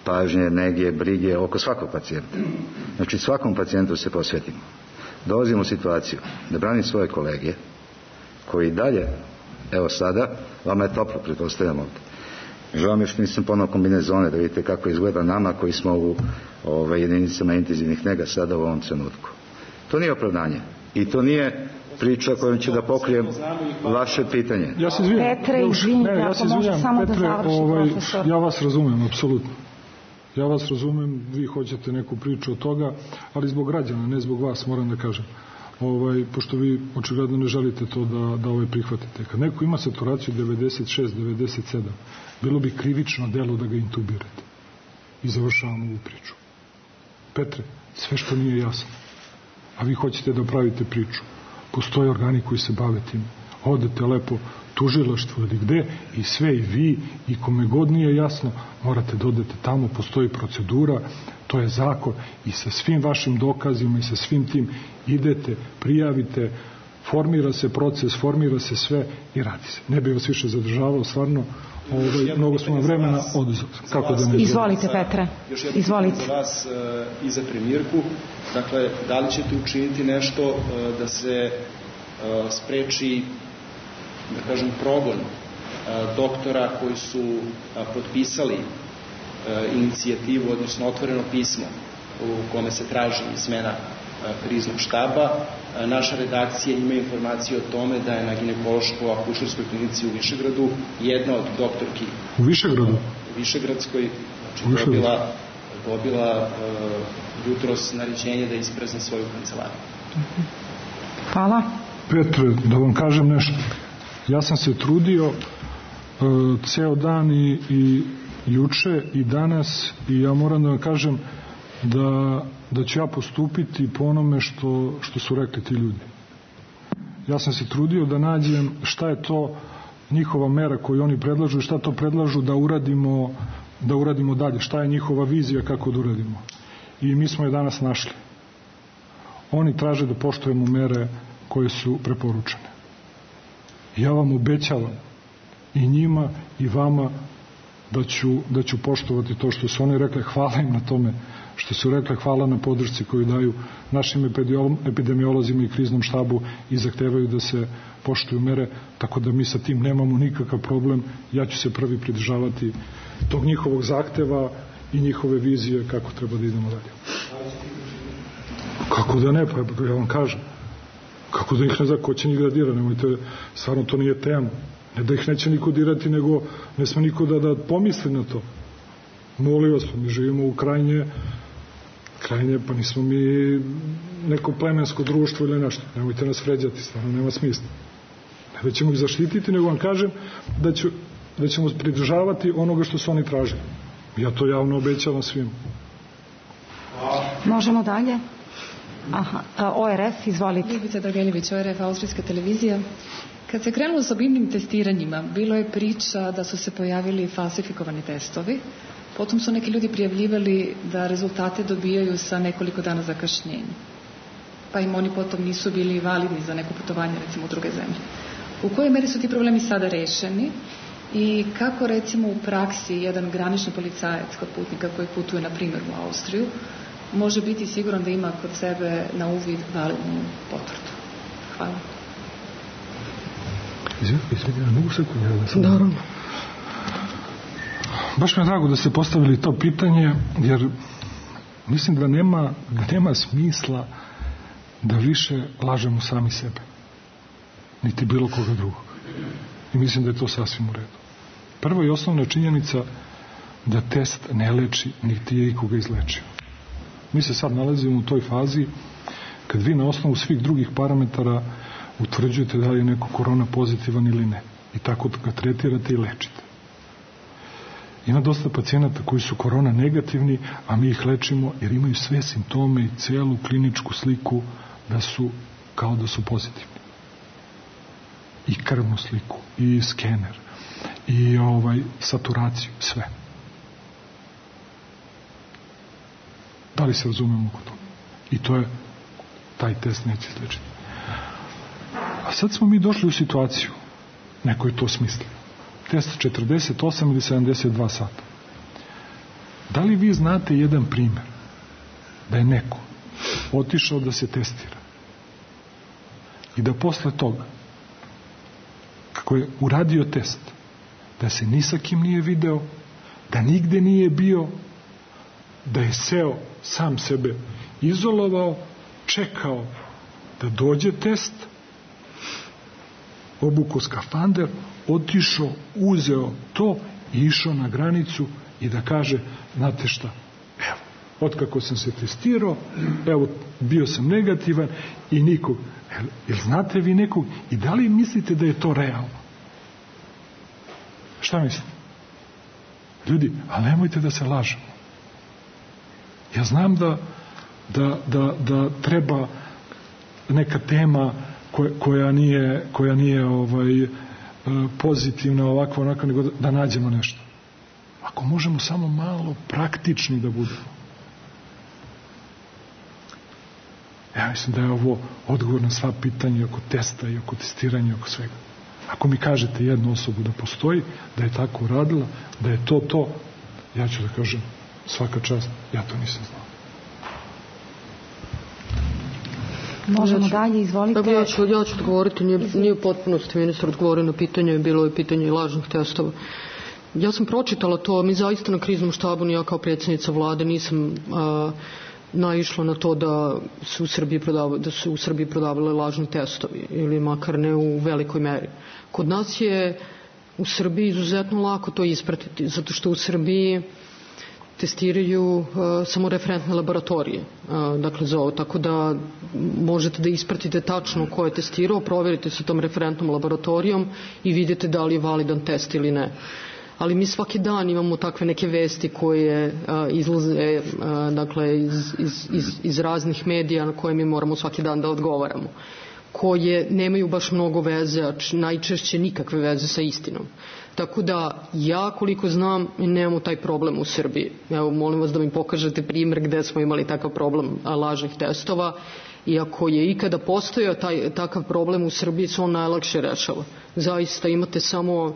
S4: pažnje, nege, brige oko svakog pacijenta. Znači, svakom pacijentu se posvetimo. Dolazimo u situaciju da branim svoje kolege koji dalje, evo sada, vama je toplo, pretpostavljam ovdje. Žao mi što nisam ponao kombinezone, da vidite kako izgleda nama koji smo u jedinicama intenzivnih nega sada u ovom trenutku. To nije opravdanje i to nije priča kojom će da pokrijem vaše pitanje.
S9: Ja se izvinjam.
S10: Petre, izvinite, ako može samo da završi profesor.
S9: Ja vas razumem, apsolutno. Ja vas razumem, vi hoćete neku priču od toga, ali zbog građana, ne zbog vas, moram da kažem. Pošto vi očigledno ne želite to da prihvatite. Kad neko ima saturaciju 96, 97, bilo bi krivično delo da ga intubirate. I završavamo ovu priču. Petre, sve što nije jasno, a vi hoćete da pravite priču, postoje organi koji se bave tim. Odete lepo tužilaštvo ili gde i sve, i vi i kome god nije jasno, morate da odete tamo, postoji procedura, to je zakon, i sa svim vašim dokazima i sa svim tim idete, prijavite, formira se proces, formira se sve i radi se. Ne bih vas više zadržavao, stvarno, mnogo smo vremena oduzeli.
S10: Izvolite, Petre. Izvolite.
S13: Za vas i za premijerku, dakle, da li ćete učiniti nešto da se spreči da kažem, progon doktora koji su potpisali inicijativu, odnosno otvoreno pismo u kome se traži smena kriznog štaba. Naša redakcija ima informaciju o tome da je na ginekološko-akušerskoj klinici u Višegradu jedna od doktorki
S9: u Višegradu?
S13: U Višegradskoj, znači dobila jutros naređenje da isprezne svoju kancelariju.
S10: Hvala.
S9: Petre, da vam kažem nešto. Ja sam se trudio ceo dan i juče i danas i ja moram da vam kažem da ću ja postupiti po onome što su rekli ti ljudi. Ja sam se trudio da nađem šta je to njihova mera koju oni predlažu i šta to predlažu da uradimo dalje, šta je njihova vizija kako da uradimo. I mi smo je danas našli. Oni traže da poštujemo mere koje su preporučene. Ja vam obećavam i njima i vama da ću poštovati to što su oni rekli. Hvala im na tome što su rekli, hvala na podršci koju daju našim epidemiolozima i kriznom štabu i zahtevaju da se poštuju mere, tako da mi sa tim nemamo nikakav problem. Ja ću se prvi pridržavati tog njihovog zahteva i njihove vizije kako treba da idemo dalje. Kako da ne, pa ja vam kažem. Kako da ih ne zna, ko će njih da dira, nemojte, stvarno to nije tema. Ne da ih neće niko dirati, nego ne sme niko da pomisli na to. Molim vas, mi živimo u krajnje, pa nismo mi neko plemensko društvo ili nešto. Nemojte nas vređati, stvarno nema smisla. Ne da ćemo ih zaštititi, nego vam kažem da ćemo pridržavati onoga što su oni tražili. Ja to javno obećavam svim.
S10: Možemo dalje? Aha, ORF, izvolite.
S14: Ljubica Drageljević, ORF, Austrijska televizija. Kad se krenulo s obimnim testiranjima, bilo je priča da su se pojavili falsifikovani testovi. Potom su neki ljudi prijavljivali da rezultate dobijaju sa nekoliko dana zakašnjenja. Pa im oni potom nisu bili validni za neko putovanje, recimo u druge zemlje. U kojoj meri su ti problemi sada rešeni i kako, recimo, u praksi jedan granični policajac kod putnika koji putuje, na primjer, u Austriju, može biti siguran da ima kod sebe na uvid validnu potvrdu? Hvala.
S9: Izvedi, ja mogu sekundu?
S14: Naravno.
S9: Baš mi je drago da ste postavili to pitanje, jer mislim da nema smisla da više lažemo sami sebe, niti bilo koga drugog. I mislim da je to sasvim u redu. Prva i osnovna činjenica da test ne leči, niti je ikoga izlečio. Mi se sad nalazimo u toj fazi kad vi na osnovu svih drugih parametara utvrđujete da li je neko korona pozitivan ili ne. I tako ga tretirate i lečite. Ima dosta pacijenata koji su korona negativni, a mi ih lečimo jer imaju sve simptome i celu kliničku sliku kao da su pozitivni. I krvnu sliku, i skener, i saturaciju, sve. Da li se razumemo oko toga? I to je, taj test neće izlečiti. A sad smo mi došli u situaciju, neko je to smislio. Test 48 ili 72 sata. Da li vi znate jedan primjer da je neko otišao da se testira i da posle toga, kako je uradio test, da se ni sa kim nije video, da nigde nije bio, da je seo, sam sebe izolovao, čekao da dođe test, obukao skafander, otišao, uzeo to i išao na granicu i da kaže, znate šta, evo, otkako sam se testirao, evo, bio sam negativan i nikog. Jel znate vi nekog i da li mislite da je to realno? Šta mislite? Ljudi, ali nemojte da se lažemo. Ja znam da treba neka tema koja nije pozitivna, ovakva, onako, nego da nađemo nešto. Ako možemo samo malo praktični da budemo. Ja mislim da je ovo odgovor na sva pitanja oko testa i oko testiranja i oko svega. Ako mi kažete jednu osobu da postoji, da je tako uradila, da je to, ja ću da kažem svaka čast, ja to nisam znao.
S10: Možemo dalje, izvolite.
S11: Ja ću odgovoriti, nije u potpunosti ministar odgovorio na pitanje, bilo je pitanje lažnih testova. Ja sam pročitala to, mi zaista na kriznom štabu, ni ja kao predsjednica vlade nisam naišla na to da su u Srbiji prodavali lažni testovi ili makar ne u velikoj meri. Kod nas je u Srbiji izuzetno lako to ispratiti, zato što u Srbiji testiraju samo referentne laboratorije, dakle za ovo, tako da možete da ispratite tačno ko je testirao, provjerite sa tom referentnom laboratorijom i vidite da li je validan test ili ne. Ali mi svaki dan imamo takve neke vesti koje izlaze dakle, iz raznih medija na koje mi moramo svaki dan da odgovaramo, koje nemaju baš mnogo veze, a najčešće nikakve veze sa istinom. Tako da ja koliko znam nemamo taj problem u Srbiji. Evo, molim vas da mi pokažete primjer gde smo imali takav problem lažnih testova, i ako je ikada postojao takav problem u Srbiji, se on najlakše rešava. Zaista imate samo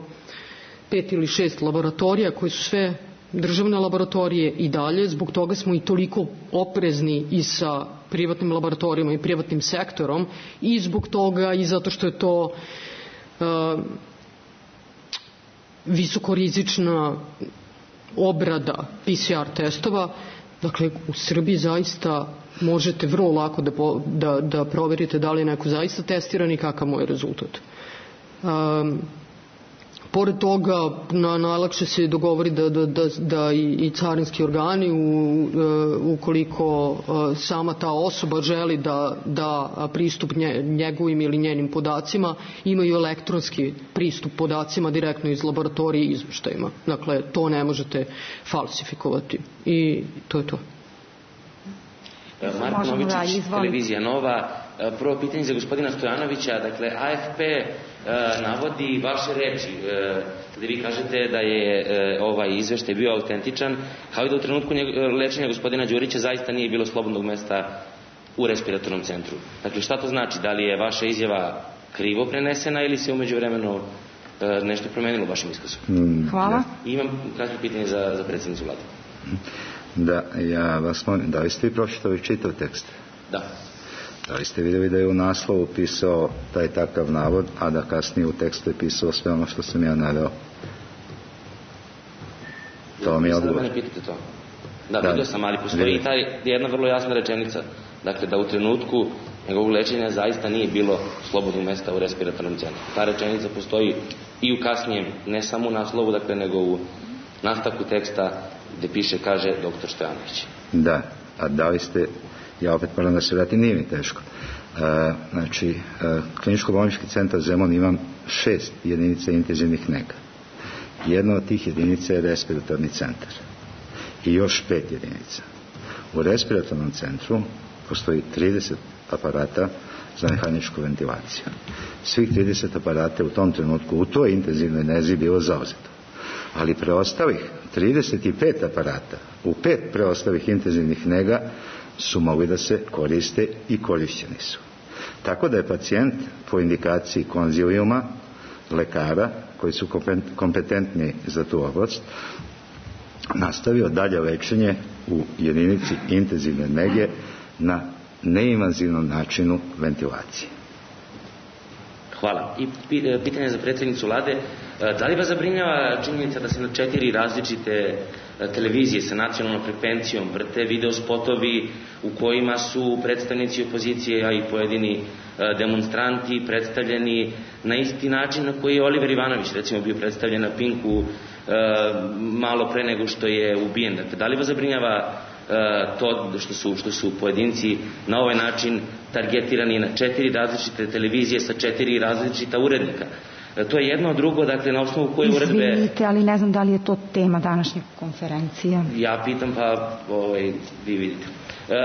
S11: 5 ili 6 laboratorija koji su sve državne laboratorije i dalje, zbog toga smo i toliko oprezni i sa privatnim laboratorijama i privatnim sektorom, i zbog toga i zato što je to visokorizična obrada PCR testova. Dakle, u Srbiji zaista možete vrlo lako da proverite da li je neko zaista testiran i kakav mu je rezultat. Pored toga, najlakše se dogovori da i carinski organi, ukoliko sama ta osoba želi da pristup njegovim ili njenim podacima, imaju elektronski pristup podacima direktno iz laboratorije i izveštajima. Dakle, to ne možete falsifikovati. I to je to.
S15: Marko Novičić, Televizija Nova. Prvo pitanje za gospodina Stojanovića. Dakle, AFP navodi vaše reči gde vi kažete da je ovaj izveštaj bio autentičan, kao i da u trenutku lečenja gospodina Đurića zaista nije bilo slobodnog mesta u respiratornom centru. Dakle, šta to znači? Da li je vaša izjava krivo prenesena ili se umeđu vremenu nešto promenilo u vašem iskazu?
S10: Hvala.
S15: I imam kratko pitanje za predsjednicu vlade.
S4: Da, ja vas molim, da li ste vi pročitali čitav tekst?
S15: Da.
S4: Da li ste vidjeli da je u naslovu pisao taj takav navod, a da kasnije u tekstu je pisao sve ono što sam ja naveo? To mi je odgovor.
S15: Da mene pitate to? Da, vidio sam, ali postoji jedna vrlo jasna rečenica. Dakle, da u trenutku njegovog lečenja zaista nije bilo slobodnog mesta u respiratornom centru. Ta rečenica postoji i u kasnijem, ne samo u naslovu, dakle, nego u nastavku teksta gde piše, kaže doktor Stojanović.
S4: Da, a da li ste, ja opet moram da se vratim, nije mi teško. Znači, kliničko-bolnički centar Zemun ima 6 jedinica intenzivnih nega. Jedna od tih jedinica je respiratorni centar. I još 5 jedinica. U respiratornom centru postoji 30 aparata za mehaničku ventilaciju. Svih 30 aparata u tom trenutku u toj intenzivnoj nezi bilo zauzeto. Ali preostalih 35 aparata u 5 preostalih intenzivnih nega su mogli da se koriste i korišćeni su. Tako da je pacijent po indikaciji konzilijuma lekara koji su kompetentni za tu oblast nastavio dalje lečenje u jedinici intenzivne nege na neinvazivnom načinu ventilacije.
S15: Hvala. I pitanje za predsjednicu vlade. Da li vas zabrinjava činjenica da se na 4 različite televizije sa nacionalnom frekvencijom vrte video spotovi u kojima su predstavnici opozicije, a i pojedini demonstranti predstavljeni na isti način na koji je Oliver Ivanović recimo bio predstavljen na Pinku malo pre nego što je ubijen? Dakle, da li vas zabrinjava to što su pojedinci na ovaj način targetirani na 4 različite televizije sa 4 različita urednika? To je jedno, drugo, dakle, na osnovu koje uredbe...
S10: Izvinite, ali ne znam da li je to tema današnje konferencije.
S15: Ja pitam, pa vi vidite.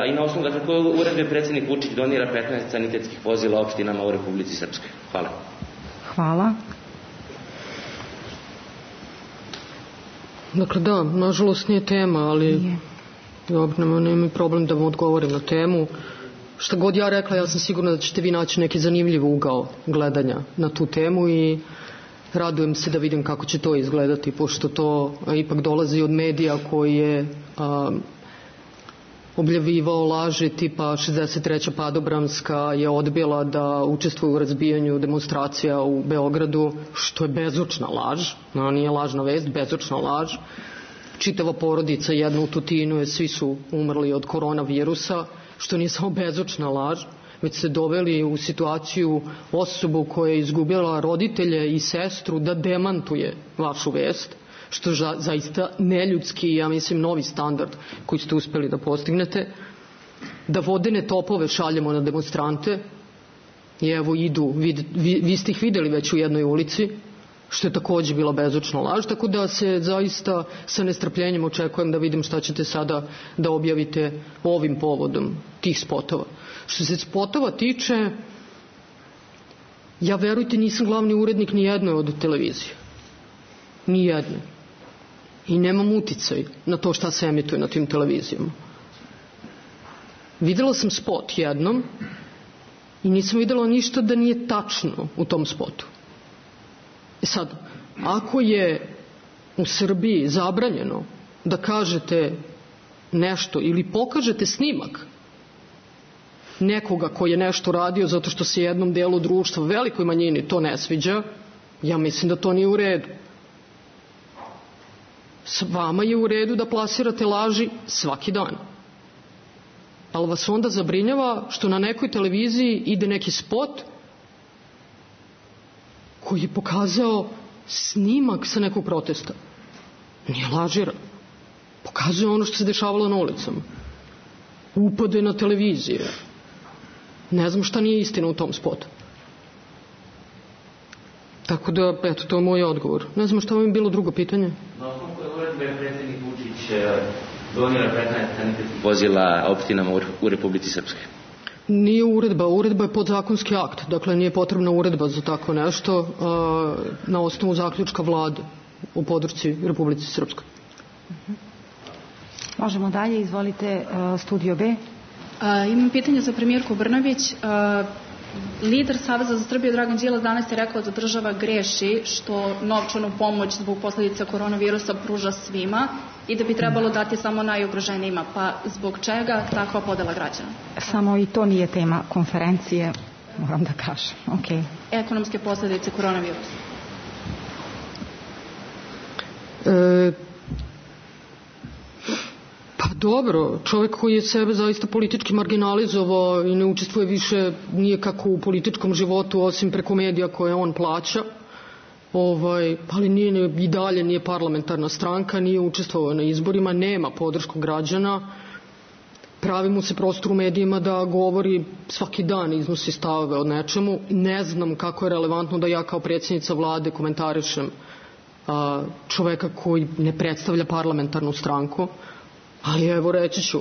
S15: I na osnovu, dakle, koje uredbe predsjednik Vučić donira 15 sanitetskih vozila opštinama u Republici Srpskoj? Hvala.
S10: Hvala.
S11: Dakle, da, nažalost nije tema, ali nema problem da vam odgovorim na temu. Šta god ja rekla, ja sam sigurna da ćete vi naći neki zanimljiv ugao gledanja na tu temu i radujem se da vidim kako će to izgledati, pošto to ipak dolazi od medija koji je objavljivao laži tipa 63. padobranska je odbila da učestvuje u razbijanju demonstracija u Beogradu, što je bezočna laž, nije lažna vest, bezočna laž. Čitava porodica jedna u Tutinu, svi su umrli od koronavirusa, što nije samo bezočna laž, već se doveli u situaciju osobu koja je izgubila roditelje i sestru da demantuje vašu vest, što je zaista neljudski, ja mislim, novi standard koji ste uspeli da postignete, da vodene topove šaljemo na demonstrante i evo idu, vi ste ih videli već u jednoj ulici, što je takođe bila bezočna laž, tako da se zaista sa nestrpljenjem očekujem da vidim šta ćete sada da objavite ovim povodom tih spotova. Što se spotova tiče, ja verujte nisam glavni urednik ni jednoj od televizije. Ni jedne. I nemam uticaj na to šta se emituje na tim televizijama. Videla sam spot jednom i nisam videla ništa da nije tačno u tom spotu. Sad, ako je u Srbiji zabranjeno da kažete nešto ili pokažete snimak nekoga koji je nešto radio zato što se jednom delu društva, velikoj manjini, to ne sviđa, ja mislim da to nije u redu. S vama je u redu da plasirate laži svaki dan. Ali vas onda zabrinjava što na nekoj televiziji ide neki spot koji je pokazao snimak sa nekog protesta. Nije lažira. Pokazuje ono što se dešavalo na ulicama. Upade na televizije. Ne znam šta nije istina u tom spotu. Tako da, eto, to je moj odgovor. Ne znam šta vam je bilo drugo pitanje.
S15: Na osnovu koje uredbe je predsjednik Vučić donio 15 sanitetskih vozila opštinama u Republici Srpskoj?
S11: Nije uredba. Uredba je podzakonski akt. Dakle, nije potrebna uredba za tako nešto na osnovu zaključka vlade u podršci Republici Srpskoj.
S10: Možemo dalje. Izvolite, Studio B.
S16: Imam pitanje za premijerku Brnabić. Lider Saveza za Srbiju Dragan Đilas danas je rekao da država greši što novčanu pomoć zbog posledica koronavirusa pruža svima i da bi trebalo dati samo najugroženijima. Pa zbog čega takva podela građana?
S10: Samo i to nije tema konferencije, moram da kažem. Okay.
S16: Ekonomske posledice koronavirusa.
S11: Pa dobro, čovjek koji je sebe zaista politički marginalizovao i ne učestvuje više nije kako u političkom životu osim preko medija koje on plaća, ali i dalje nije parlamentarna stranka, nije učestvovao na izborima, nema podršku građana, pravi mu se prostor u medijima da govori svaki dan, iznosi stavove o nečemu. Ne znam kako je relevantno da ja kao predsjednica vlade komentarišem čoveka koji ne predstavlja parlamentarnu stranku. Ali evo reći ću,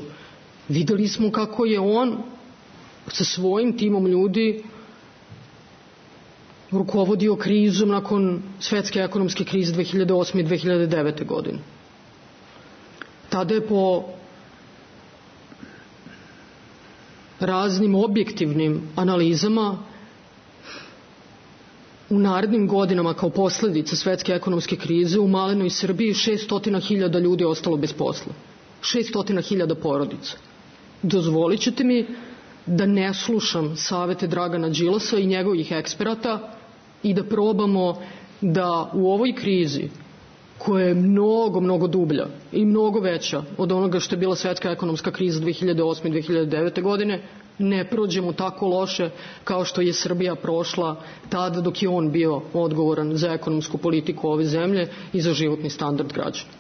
S11: videli smo kako je on sa svojim timom ljudi rukovodio krizom nakon svetske ekonomske krize 2008. i 2009. godine. Tada je po raznim objektivnim analizama u narednim godinama kao posljedica svetske ekonomske krize u malenoj Srbiji 600.000 ljudi ostalo bez posla. 600.000 porodica. Dozvolit ćete mi da ne slušam savete Dragana Đilasa i njegovih eksperata i da probamo da u ovoj krizi, koja je mnogo, mnogo dublja i mnogo veća od onoga što je bila svetska ekonomska kriza 2008. i 2009. godine, ne prođemo tako loše kao što je Srbija prošla tada dok je on bio odgovoran za ekonomsku politiku ove zemlje i za životni standard građana.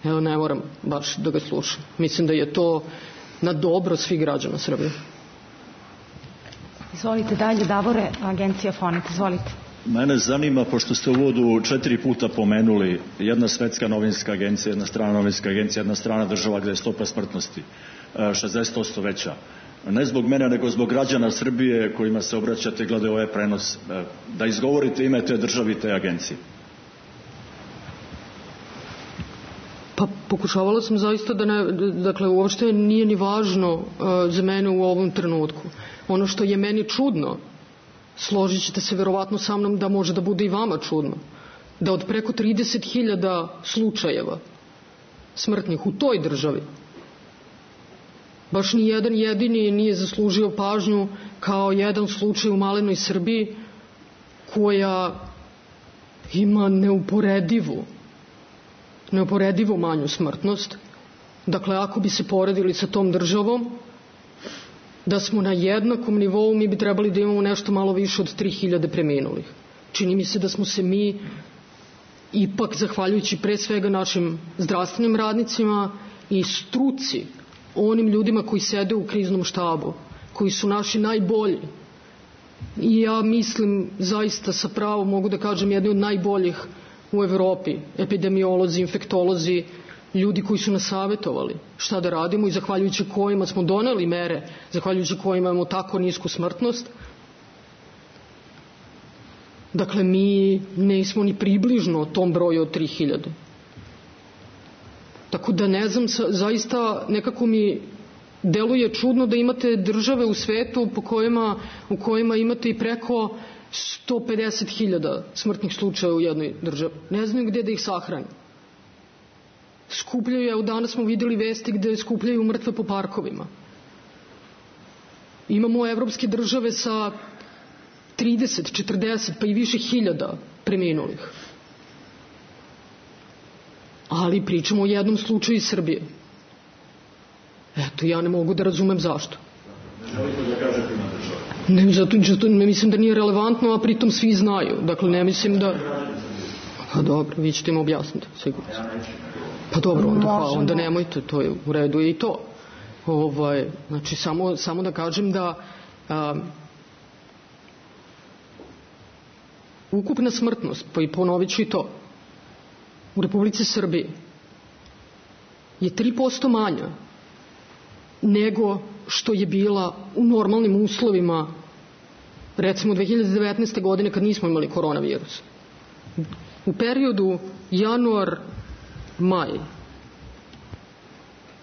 S11: Evo, ne moram baš da ga slušam. Mislim da je to na dobro svih građana Srbije.
S10: Izvolite dalje, Davore, agencija Fonet, izvolite.
S17: Mene zanima, pošto ste u uvodu 4 puta pomenuli jedna svetska novinska agencija, jedna strana novinska agencija, jedna strana država gde je stopa smrtnosti 60% veća. Ne zbog mene, nego zbog građana Srbije kojima se obraćate glede ovaj prenos. Da izgovorite ime te države i te agencije.
S11: Pa pokušavala sam zaista da ne, dakle uopšte nije ni važno za mene u ovom trenutku. Ono što je meni čudno, složit ćete se verovatno sa mnom da može da bude i vama čudno, da od preko 30.000 slučajeva smrtnih u toj državi baš ni jedan jedini nije zaslužio pažnju kao jedan slučaj u malenoj Srbiji koja ima neuporedivo manju smrtnost. Dakle, ako bi se poredili sa tom državom, da smo na jednakom nivou, mi bi trebali da imamo nešto malo više od 3000 preminulih. Čini mi se da smo se mi ipak, zahvaljujući pre svega našim zdravstvenim radnicima i struci, onim ljudima koji sede u kriznom štabu, koji su naši najbolji, i ja mislim zaista sa pravom mogu da kažem jedni od najboljih u Evropi, epidemiolozi, infektolozi, ljudi koji su nas savjetovali šta da radimo i zahvaljujući kojima smo doneli mere, zahvaljujući kojima imamo tako nisku smrtnost. Dakle, mi nismo ni približno tom broju od 3000. Tako da ne znam, zaista nekako mi deluje čudno da imate države u svetu u kojima imate i preko 150.000 smrtnih slučaja u jednoj državi. Ne znaju gde da ih sahrani. Skupljaju, evo danas smo videli vesti gde skupljaju mrtve po parkovima. Imamo evropske države sa 30, 40 pa i više hiljada preminulih. Ali pričamo o jednom slučaju iz Srbije. Eto, ja ne mogu da razumem zašto. Ne, zato ne mislim da nije relevantno, a pritom svi znaju. Dakle, ne mislim da... Pa dobro, vi ćete im objasniti, sigurno. Pa dobro, onda nemojte, to je u redu i to. Znači, samo da kažem da ukupna smrtnost, pa i ponovit ću i to, u Republici Srbiji je 3% manja nego što je bila u normalnim uslovima, recimo 2019. godine kad nismo imali koronavirus. U periodu januar-maj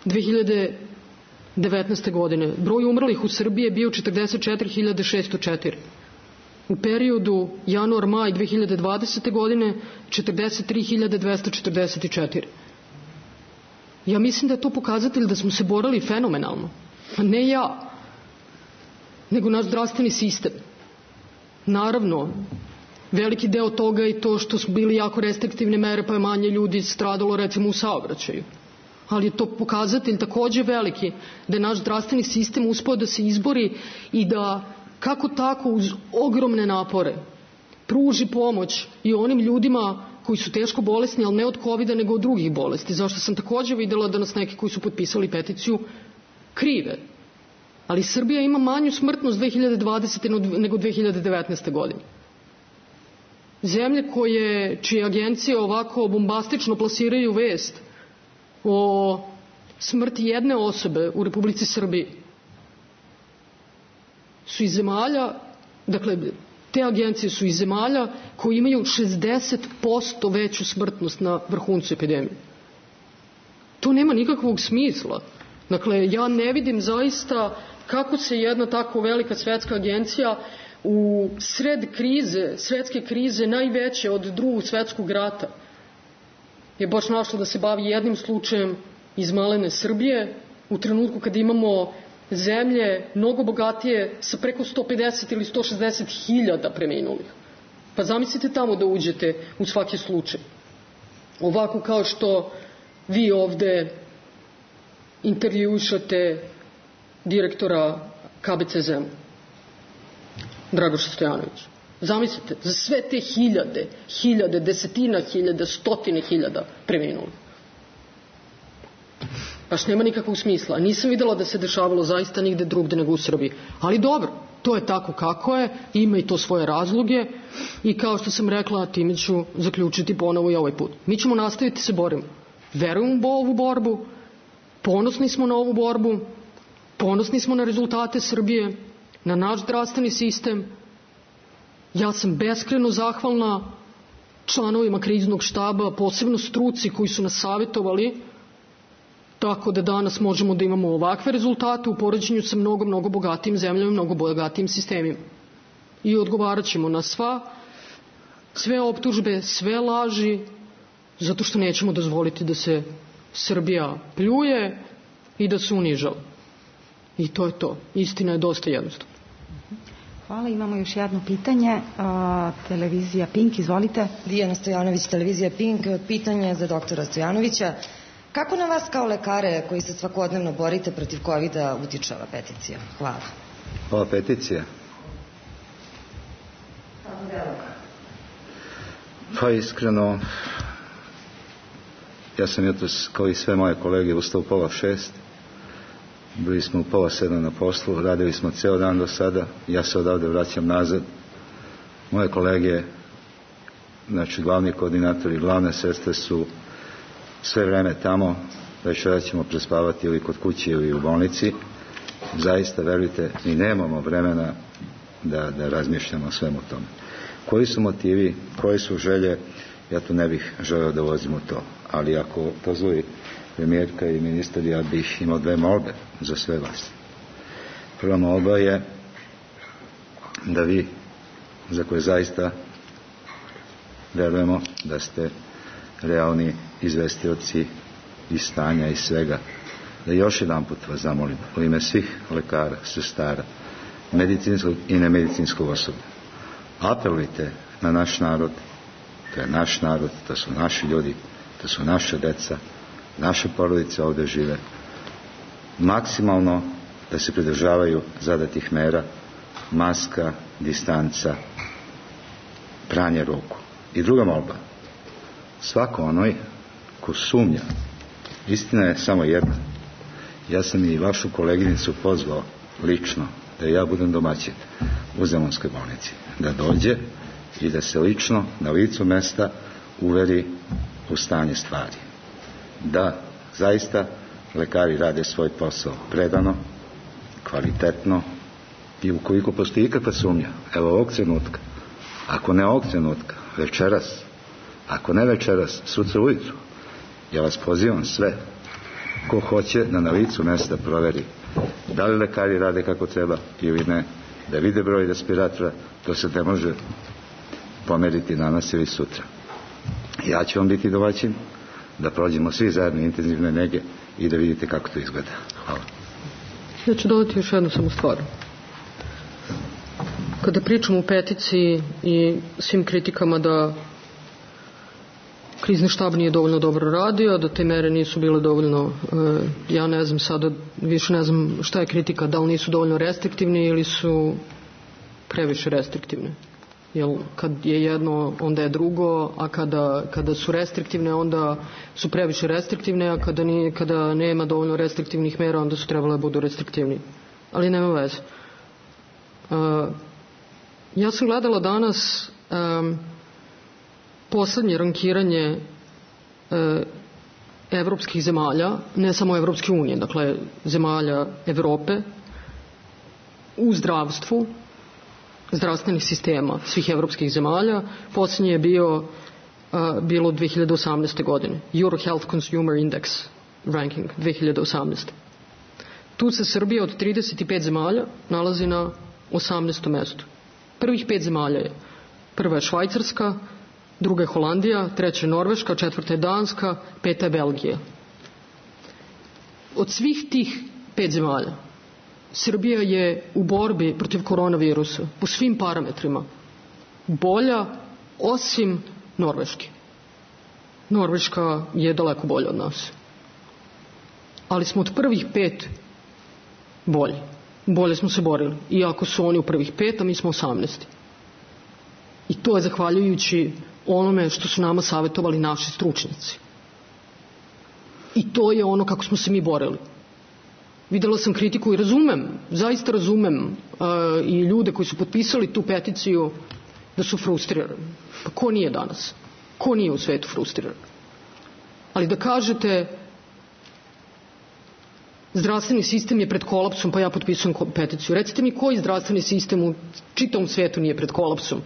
S11: 2019. godine broj umrlih u Srbiji je bio 44.604. U periodu januar-maj 2020. godine 43.244. Ja mislim da je to pokazatelj da smo se borili fenomenalno. A ne ja, nego naš zdravstveni sistem. Naravno, veliki deo toga je to što su bili jako restriktivne mere, pa je manje ljudi stradalo recimo u saobraćaju. Ali je to pokazatelj takođe veliki da je naš zdravstveni sistem uspeo da se izbori i da kako tako uz ogromne napore pruži pomoć i onim ljudima koji su teško bolesni, ali ne od COVID-a nego od drugih bolesti. Zašto sam takođe videla da nas neki koji su potpisali peticiju krive. Ali Srbija ima manju smrtnost 2020. nego 2019. godine. Zemlje čije agencije ovako bombastično plasiraju vest o smrti jedne osobe u Republici Srbiji su iz zemalja, dakle, te agencije su iz zemalja koji imaju 60% veću smrtnost na vrhuncu epidemije. To nema nikakvog smisla. Dakle, ja ne vidim zaista kako se jedna tako velika svetska agencija u sred krize, svetske krize najveće od Drugog svetskog rata je baš našla da se bavi jednim slučajem iz malene Srbije u trenutku kada imamo zemlje mnogo bogatije sa preko 150 ili 160 hiljada preminulih. Pa zamislite tamo da uđete u svaki slučaj. Ovako kao što vi ovde intervjušate direktora KBC Zemun, Dragoša Stojanovića. Zamislite, za sve te hiljade, desetina hiljada, stotine hiljada preminulih. Baš nema nikakvog smisla. Nisam videla da se dešavalo zaista nigde drugde nego u Srbiji. Ali dobro, to je tako kako je, ima i to svoje razloge i kao što sam rekla, time ću zaključiti ponovo i ovaj put. Mi ćemo nastaviti se borimo. Verujemo u ovu borbu, ponosni smo na ovu borbu, ponosni smo na rezultate Srbije, na naš zdravstveni sistem. Ja sam beskreno zahvalna članovima kriznog štaba, posebno struci koji su nas savjetovali, tako da danas možemo da imamo ovakve rezultate u poređenju sa mnogo bogatijim zemljama i mnogo bogatijim sistemima. I odgovarat ćemo na sve optužbe, sve laži, zato što nećemo dozvoliti da se Srbija pljuje i da se unižava. I to je to. Istina je dosta jednostavna.
S10: Hvala, imamo još jedno pitanje. Televizija Pink, izvolite.
S18: Dijana Stojanović, televizija Pink. Pitanje za doktora Stojanovića. Kako na vas kao lekare koji se svakodnevno borite protiv COVID-a utiče ova peticija? Hvala.
S4: Ova peticija? Pa iskreno, ja sam jutros, kao i sve moje kolege, ustao u 5:30. Bili smo u 6:30 na poslu, radili smo ceo dan do sada, ja se odavde vraćam nazad. Moje kolege, znači glavni koordinatori, glavne sestre su sve vreme tamo, večera ćemo prespavati ili kod kuće ili u bolnici. Zaista, verujte, mi nemamo vremena da razmišljamo o svemu tome. Koji su motivi, koje su želje, ja tu ne bih želeo da ulazim u to, ali ako dozvoli premijerka i ministar, ja bih imao 2 molbe za sve vas. Prva molba je da vi, za koje zaista verujemo da ste realni izvestioci iz stanja i svega, da još jedan put vas zamolim u ime svih lekara, sestara, medicinskog i nemedicinskog osoblja, apelujte na naš narod, to je naš narod, to su naši ljudi, to su naše deca, naše porodice ovde žive, maksimalno da se pridržavaju zadatih mera, maska, distanca, pranje ruku. I druga molba, svako onoj ko sumnja, istina je samo jedna, ja sam i vašu koleginicu pozvao lično da ja budem domaćin u Zemunskoj bolnici, da dođe i da se lično na licu mesta uveri u stanje stvari, da zaista lekari rade svoj posao predano, kvalitetno, i ukoliko postoji ikakva sumnja, evo ovog trenutka, ako ne ovog trenutka, večeras, ako ne večeras, sutra ujutru, ja vas pozivam sve ko hoće da na licu mesta proveri da li lekari rade kako treba ili ne, da vide broj respiratora, to se ne može pomeriti danas ili sutra. Ja ću vam biti domaćin, da prođemo svi zajedno intenzivne nege i da vidite kako to izgleda. Hvala.
S11: Ja ću dodati još jednu samo stvar. Kada pričamo o peticiji i svim kritikama da krizni štab nije dovoljno dobro radio, da te mere nisu bile dovoljno, ja ne znam sada, više ne znam šta je kritika, da li nisu dovoljno restriktivni ili su previše restriktivne. Jer kad je jedno, onda je drugo, a kada su restriktivne, onda su previše restriktivne, a kada nema dovoljno restriktivnih mera, onda su trebale da budu restriktivni. Ali nema veze. Ja sam gledala danas poslednje rankiranje evropskih zemalja, ne samo Evropske unije, dakle zemalja Evrope, u zdravstvu, zdravstvenih sistema svih evropskih zemalja. Poslednje je bilo 2018. godine. Euro Health Consumer Index ranking 2018. Tu se Srbija od 35 zemalja nalazi na 18. mestu. Prvih 5 zemalja je. Prva je Švajcarska, druga je Holandija, treća je Norveška, četvrta je Danska, peta je Belgija. Od svih tih 5 zemalja Srbija je u borbi protiv koronavirusa po svim parametrima bolja osim Norveške. Norveška je daleko bolja od nas. Ali smo od prvih 5 bolji. Bolje smo se borili. Iako su oni u prvih 5, a mi smo 18. I to je zahvaljujući onome što su nama savjetovali naši stručnjaci. I to je ono kako smo se mi borili. Videla sam kritiku i razumem, zaista razumem i ljude koji su potpisali tu peticiju da su frustrirani. Pa ko nije danas? Ko nije u svetu frustriran? Ali da kažete zdravstveni sistem je pred kolapsom, pa ja potpisujem peticiju. Recite mi koji zdravstveni sistem u čitavom svetu nije pred kolapsom?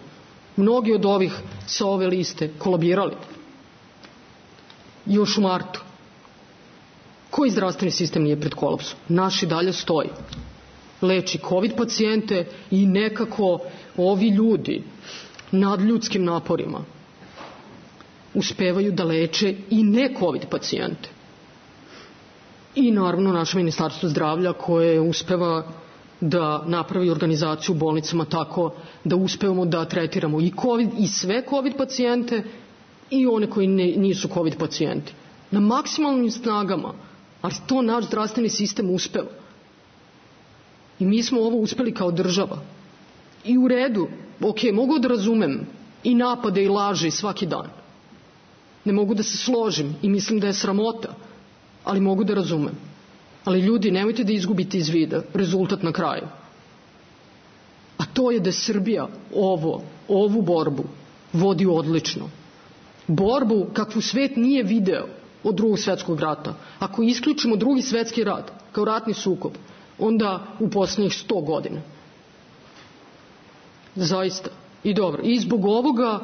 S11: Mnogi od ovih sa ove liste kolabirali. Još u martu. Koji zdravstveni sistem nije pred kolapsom? Naš i dalje stoji. Leči COVID pacijente i nekako ovi ljudi nadljudskim naporima uspevaju da leče i ne COVID pacijente. i naravno naše ministarstvo zdravlja koje uspeva da napravi organizaciju u bolnicama tako da uspevamo da tretiramo i COVID i sve COVID pacijente i one koji nisu COVID pacijenti. Na maksimalnim snagama, ali to naš zdravstveni sistem uspeva. I mi smo ovo uspeli kao država. I u redu, mogu da razumem i napade i laže svaki dan. Ne mogu da se složim i mislim da je sramota, ali mogu da razumem. Ali ljudi, nemojte da izgubite iz vida rezultat na kraju. A to je da Srbija ovu borbu vodi odlično. Borbu kakvu svet nije video od Drugog svjetskog rata. Ako isključimo Drugi svjetski rat kao ratni sukob, onda u posljednjih 100 godina. Zaista. I dobro. I zbog ovoga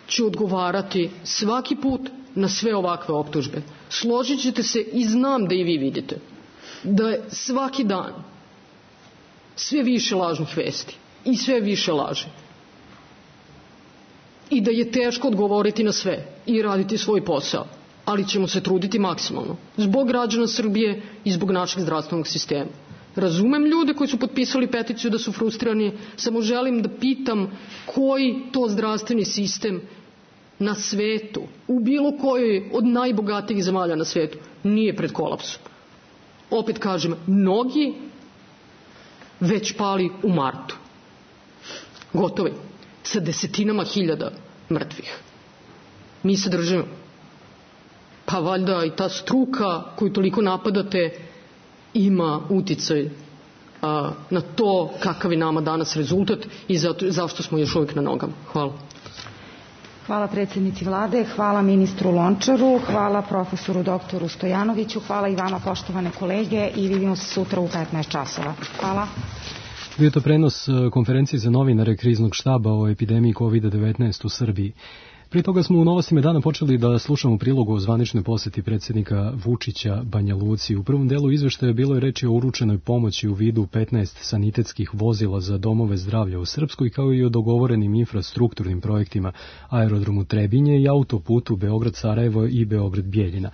S11: ću odgovarati svaki put na sve ovakve optužbe. Složit ćete se i znam da i vi vidite da je svaki dan sve više lažnih vesti i sve više laži. I da je teško odgovoriti na sve i raditi svoj posao, ali ćemo se truditi maksimalno. Zbog građana Srbije i zbog našeg zdravstvenog sistema. Razumem ljude koji su potpisali peticiju da su frustrirani, samo želim da pitam koji to zdravstveni sistem na svetu, u bilo kojoj od najbogatijih zemalja na svetu, nije pred kolapsom. Opet kažem, mnogi već pali u martu. Gotovi. Sa desetinama hiljada mrtvih. Mi se držimo. Pa valjda i ta struka koju toliko napadate ima uticaj na to kakav je nama danas rezultat i zašto smo još uvijek na nogama. Hvala.
S10: Hvala predsjednici vlade, hvala ministru Lončaru, hvala profesoru doktoru Stojanoviću, hvala i vama poštovane kolege i vidimo se sutra u 15 časova. Hvala.
S2: Bio to prenos konferencije za novinare kriznog štaba o epidemiji COVID-19 u Srbiji. Prije toga smo u Novostima dana počeli da slušamo prilogu o zvaničnoj posjeti predsjednika Vučića Banja Luci. U prvom delu izveštaja bilo je reči o uručenoj pomoći u vidu 15 sanitetskih vozila za domove zdravlja u Srpskoj, kao i o dogovorenim infrastrukturnim projektima aerodromu Trebinje i autoputu Beograd-Sarajevo i Beograd-Bjeljina.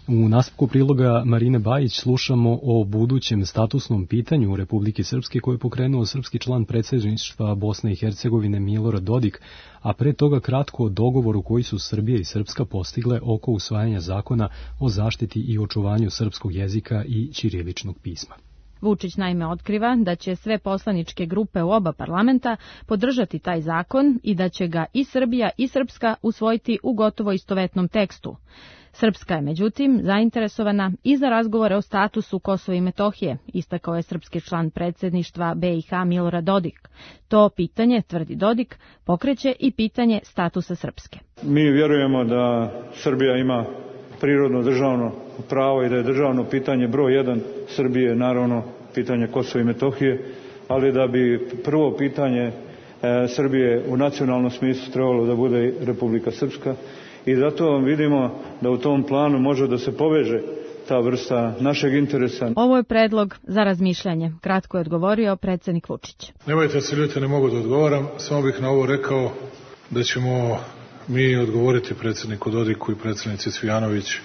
S2: U nastavku priloga Marine Bajić slušamo o budućem statusnom pitanju Republike Srpske koje je pokrenuo srpski član predsjedništva Bosne i Hercegovine Milorad Dodik, a pre toga kratko o dogovoru koji su Srbija i Srpska postigle oko usvajanja zakona o zaštiti i očuvanju srpskog jezika i ćiriličnog pisma.
S7: Vučić naime otkriva da će sve poslaničke grupe u oba parlamenta podržati taj zakon i da će ga i Srbija i Srpska usvojiti u gotovo istovetnom tekstu. Srpska je, međutim, zainteresovana i za razgovore o statusu Kosova i Metohije, istakao je srpski član predsjedništva BiH Milorad Dodik. To pitanje, tvrdi Dodik, pokreće i pitanje statusa Srpske.
S19: Mi vjerujemo da Srbija ima prirodno državno pravo i da je državno pitanje broj 1 Srbije, naravno, pitanje Kosova i Metohije, ali da bi prvo pitanje Srbije u nacionalnom smislu trebalo da bude Republika Srpska. I zato vidimo da u tom planu može da se poveže ta vrsta našeg interesa.
S7: Ovo je predlog za razmišljanje, kratko je odgovorio predsjednik Vučić.
S9: Nemojte se ljutiti, ne mogu da odgovaram, samo bih na ovo rekao da ćemo mi odgovoriti predsjedniku Dodiku i predsjednici Cvijanović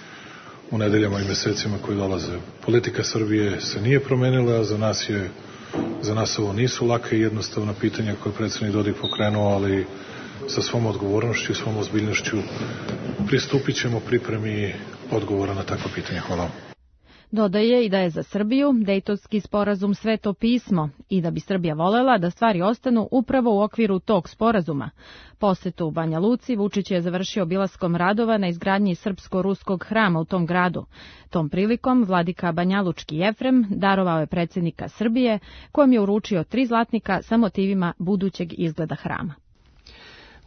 S9: u nedeljama i mjesecima koji dolaze. Politika Srbije se nije promenila, a za nas ovo nisu lake i jednostavna pitanja koje je predsjednik Dodik pokrenuo, ali sa svom odgovornošću i svom ozbiljnošću pristupit ćemo pripremi odgovora na takva pitanja. Hvala.
S7: Dodaje i da je za Srbiju Dejtonski sporazum sveto pismo i da bi Srbija volela da stvari ostanu upravo u okviru tog sporazuma. Posetu u Banja Luci Vučić je završio obilaskom radova na izgradnji srpsko-ruskog hrama u tom gradu. Tom prilikom vladika Banjalučki Jefrem darovao je predsjednika Srbije, kojem je uručio 3 zlatnika sa motivima budućeg izgleda hrama.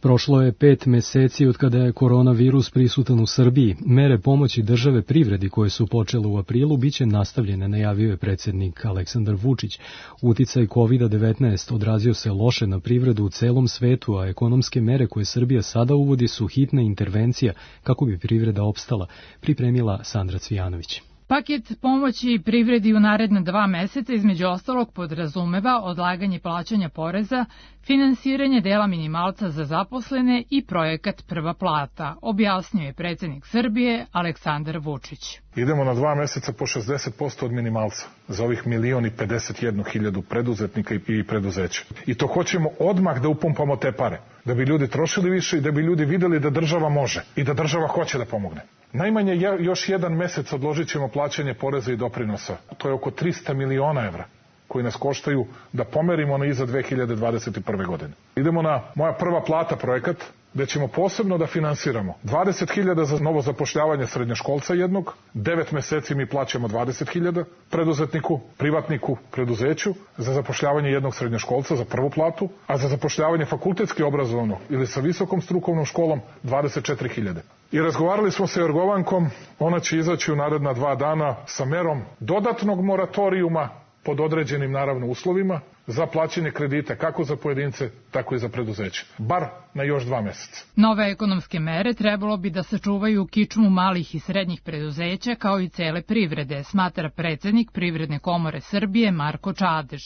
S2: Prošlo je 5 meseci od kada je koronavirus prisutan u Srbiji. Mere pomoći države privredi koje su počele u aprilu biće nastavljene, najavio je predsjednik Aleksandar Vučić. Uticaj COVID-19 odrazio se loše na privredu u celom svetu, a ekonomske mere koje Srbija sada uvodi su hitna intervencija kako bi privreda opstala, pripremila Sandra Cvijanović.
S20: Paket pomoći privredi u naredna 2 meseca između ostalog podrazumeva odlaganje plaćanja poreza, finansiranje dela minimalca za zaposlene i projekat Prva plata, objasnio je predsjednik Srbije Aleksandar Vučić.
S9: Idemo na 2 meseca po 60% od minimalca za ovih 1.051.000 preduzetnika i preduzeća. I to hoćemo odmah da upumpamo te pare, da bi ljudi trošili više i da bi ljudi videli da država može i da država hoće da pomogne. Najmanje još 1 mesec odložit ćemo plaćanje poreza i doprinosa. To je oko 300 miliona evra koji nas koštaju da pomerimo na iza 2021. godine. Idemo na Moja prva plata projekat, gde ćemo posebno da finansiramo 20.000 za novo zapošljavanje srednjoškolca jednog, 9 meseci mi plaćamo 20.000 preduzetniku, privatniku, preduzeću za zapošljavanje jednog srednjoškolca za prvu platu, a za zapošljavanje fakultetski obrazovanog ili sa visokom strukovnom školom 24.000. I razgovarali smo sa Jorgovankom, ona će izaći u naredna 2 dana sa merom dodatnog moratorijuma pod određenim naravno uslovima za plaćanje kredita kako za pojedince, tako i za preduzeće. Bar na još 2 meseca.
S20: Nove ekonomske mere trebalo bi da sačuvaju kičmu malih i srednjih preduzeća kao i cele privrede, smatra predsjednik Privredne komore Srbije Marko Čadež.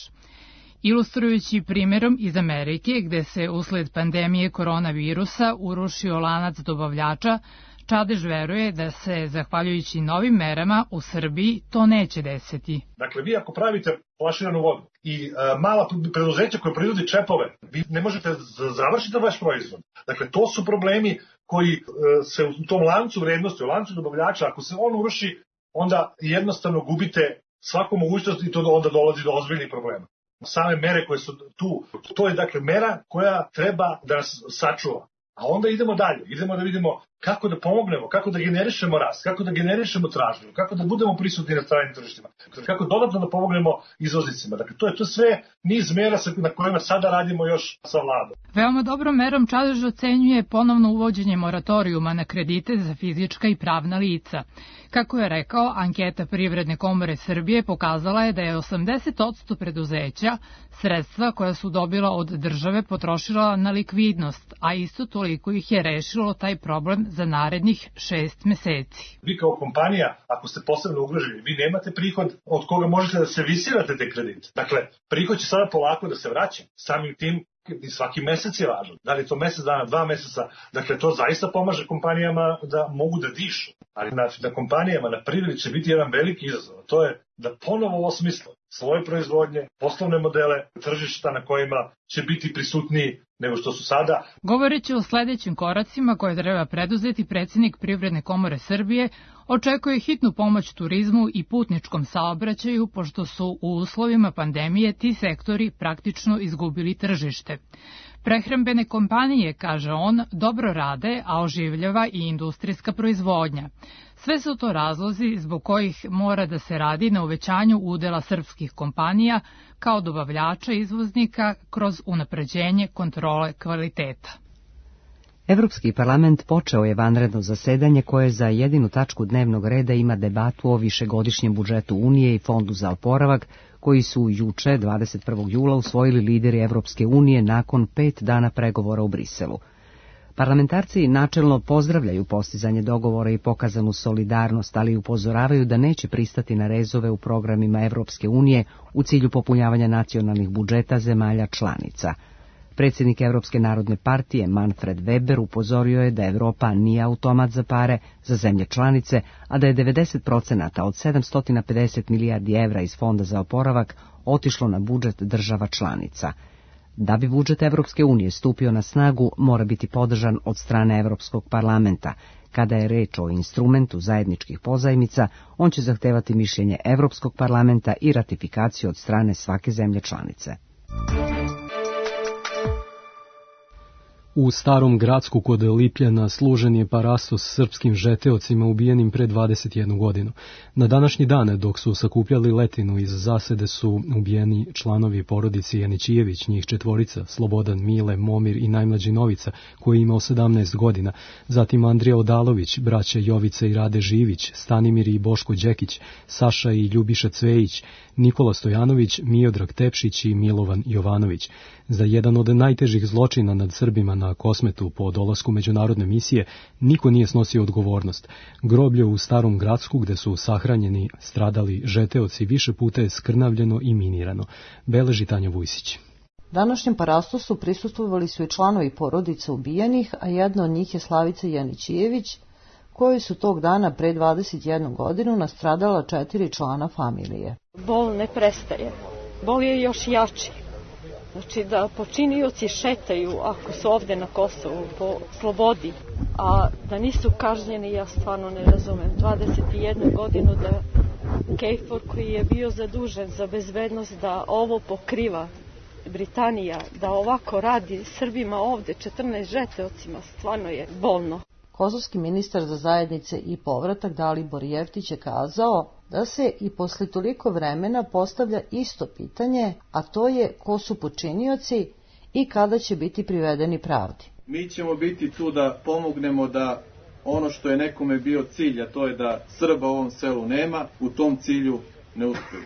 S20: Ilustrujući primjerom iz Amerike, gde se usled pandemije koronavirusa urušio lanac dobavljača, Čadež veruje da se, zahvaljujući novim merama, u Srbiji to neće desiti.
S21: Dakle, vi ako pravite flaširanu vodu i mala preduzeća koje proizvodi čepove, vi ne možete završiti vaš proizvod. Dakle, to su problemi koji se u tom lancu vrednosti, u lancu dobavljača, ako se on uruši, onda jednostavno gubite svaku mogućnost i to onda dolazi do ozbiljnih problema. Same mere koje su tu, to je dakle mera koja treba da nas sačuva. A onda idemo dalje, idemo da vidimo kako da pomognemo, kako da generišemo rast, kako da generišemo tražnju, kako da budemo prisutni na stranim tržištima, kako dodatno da pomognemo izvoznicima. Dakle, to je sve niz mera na kojima sada radimo još sa vladom.
S20: Veoma dobrom merom Čadež ocenjuje ponovno uvođenje moratorijuma na kredite za fizička i pravna lica. Kako je rekao, anketa Privredne komore Srbije pokazala je da je 80% preduzeća sredstva koja su dobila od države potrošila na likvidnost, a isto toliko ih je rešilo taj problem za narednih 6 meseci.
S21: Vi kao kompanija, ako ste posebno ugroženi, vi nemate prihod od koga možete da servisirate te kredite. Dakle, prihod će sada polako da se vraća. Samim tim i svaki mesec je važan. Da li je to mesec dana, 2 meseca, dakle to zaista pomaže kompanijama da mogu da dišu. Ali na kompanijama, na privredi će biti jedan veliki izazov. To je da ponovo osmisle svoje proizvodnje, poslovne modele, tržišta na kojima će biti prisutniji nego što su sada.
S20: Govoreći o sledećim koracima koje treba preduzeti, predsjednik Privredne komore Srbije očekuje hitnu pomoć turizmu i putničkom saobraćaju, pošto su u uslovima pandemije ti sektori praktično izgubili tržište. Prehrambene kompanije, kaže on, dobro rade, a oživljava i industrijska proizvodnja. Sve su to razlozi zbog kojih mora da se radi na uvećanju udela srpskih kompanija kao dobavljača izvoznika kroz unapređenje kontrole kvaliteta.
S1: Evropski parlament počeo je vanredno zasedanje koje za jedinu tačku dnevnog reda ima debatu o višegodišnjem budžetu Unije i Fondu za oporavak, koji su juče, 21. jula, usvojili lideri Evropske unije nakon 5 dana pregovora u Briselu. Parlamentarci načelno pozdravljaju postizanje dogovora i pokazanu solidarnost, ali upozoravaju da neće pristati na rezove u programima Evropske unije u cilju popunjavanja nacionalnih budžeta zemalja članica. Predsjednik Evropske narodne partije Manfred Weber upozorio je da Evropa nije automat za pare za zemlje članice, a da je 90% od 750 milijardi evra iz Fonda za oporavak otišlo na budžet država članica. Da bi budžet Evropske unije stupio na snagu, mora biti podržan od strane Evropskog parlamenta. Kada je reč o instrumentu zajedničkih pozajmica, on će zahtevati mišljenje Evropskog parlamenta i ratifikaciju od strane svake zemlje članice.
S2: U Starom Gradsku kod Lipljana služen je parastos srpskim žeteocima ubijenim pre 21 godinu. Na današnji dan, dok su sakupljali letinu iz zasede, su ubijeni članovi porodici Janićijević, njih 4, Slobodan, Mile, Momir i najmlađi Novica, koji je imao 17 godina, zatim Andrija Odalović, braća Jovica i Rade Živić, Stanimir i Boško Đekić, Saša i Ljubiša Cvejić, Nikola Stojanović, Miodrag Tepšić i Milovan Jovanović. Za jedan od najtežih zločina nad Srbima na na Kosmetu po dolasku međunarodne misije, niko nije snosio odgovornost. Groblje u Starom Gradsku, gde su sahranjeni stradali žeteoci, više puta je skrnavljeno i minirano. Beleži Tanja Vujsić.
S5: Današnjem parastosu prisustvovali su i članovi porodica ubijenih, a jedna od njih je Slavica Janićijević, koji su tog dana pre 21 godinu nastradala 4 člana familije.
S22: Bol ne prestaje. Bol je još jači. Znači da počinioci šetaju, ako su ovde na Kosovu, po slobodi, a da nisu kažnjeni, ja stvarno ne razumem. 21 godinu da KFOR, koji je bio zadužen za bezbednost, da ovo pokriva, Britanija, da ovako radi Srbima ovde, 14 žeteocima, stvarno je bolno.
S5: Kosovski ministar za zajednice i povratak Dalibor Jeftić je kazao da se i posle toliko vremena postavlja isto pitanje, a to je ko su počinioci i kada će biti privedeni pravdi.
S23: Mi ćemo biti tu da pomognemo da ono što je nekome bio cilj, a to je da Srba u ovom selu nema, u tom cilju ne uspiju.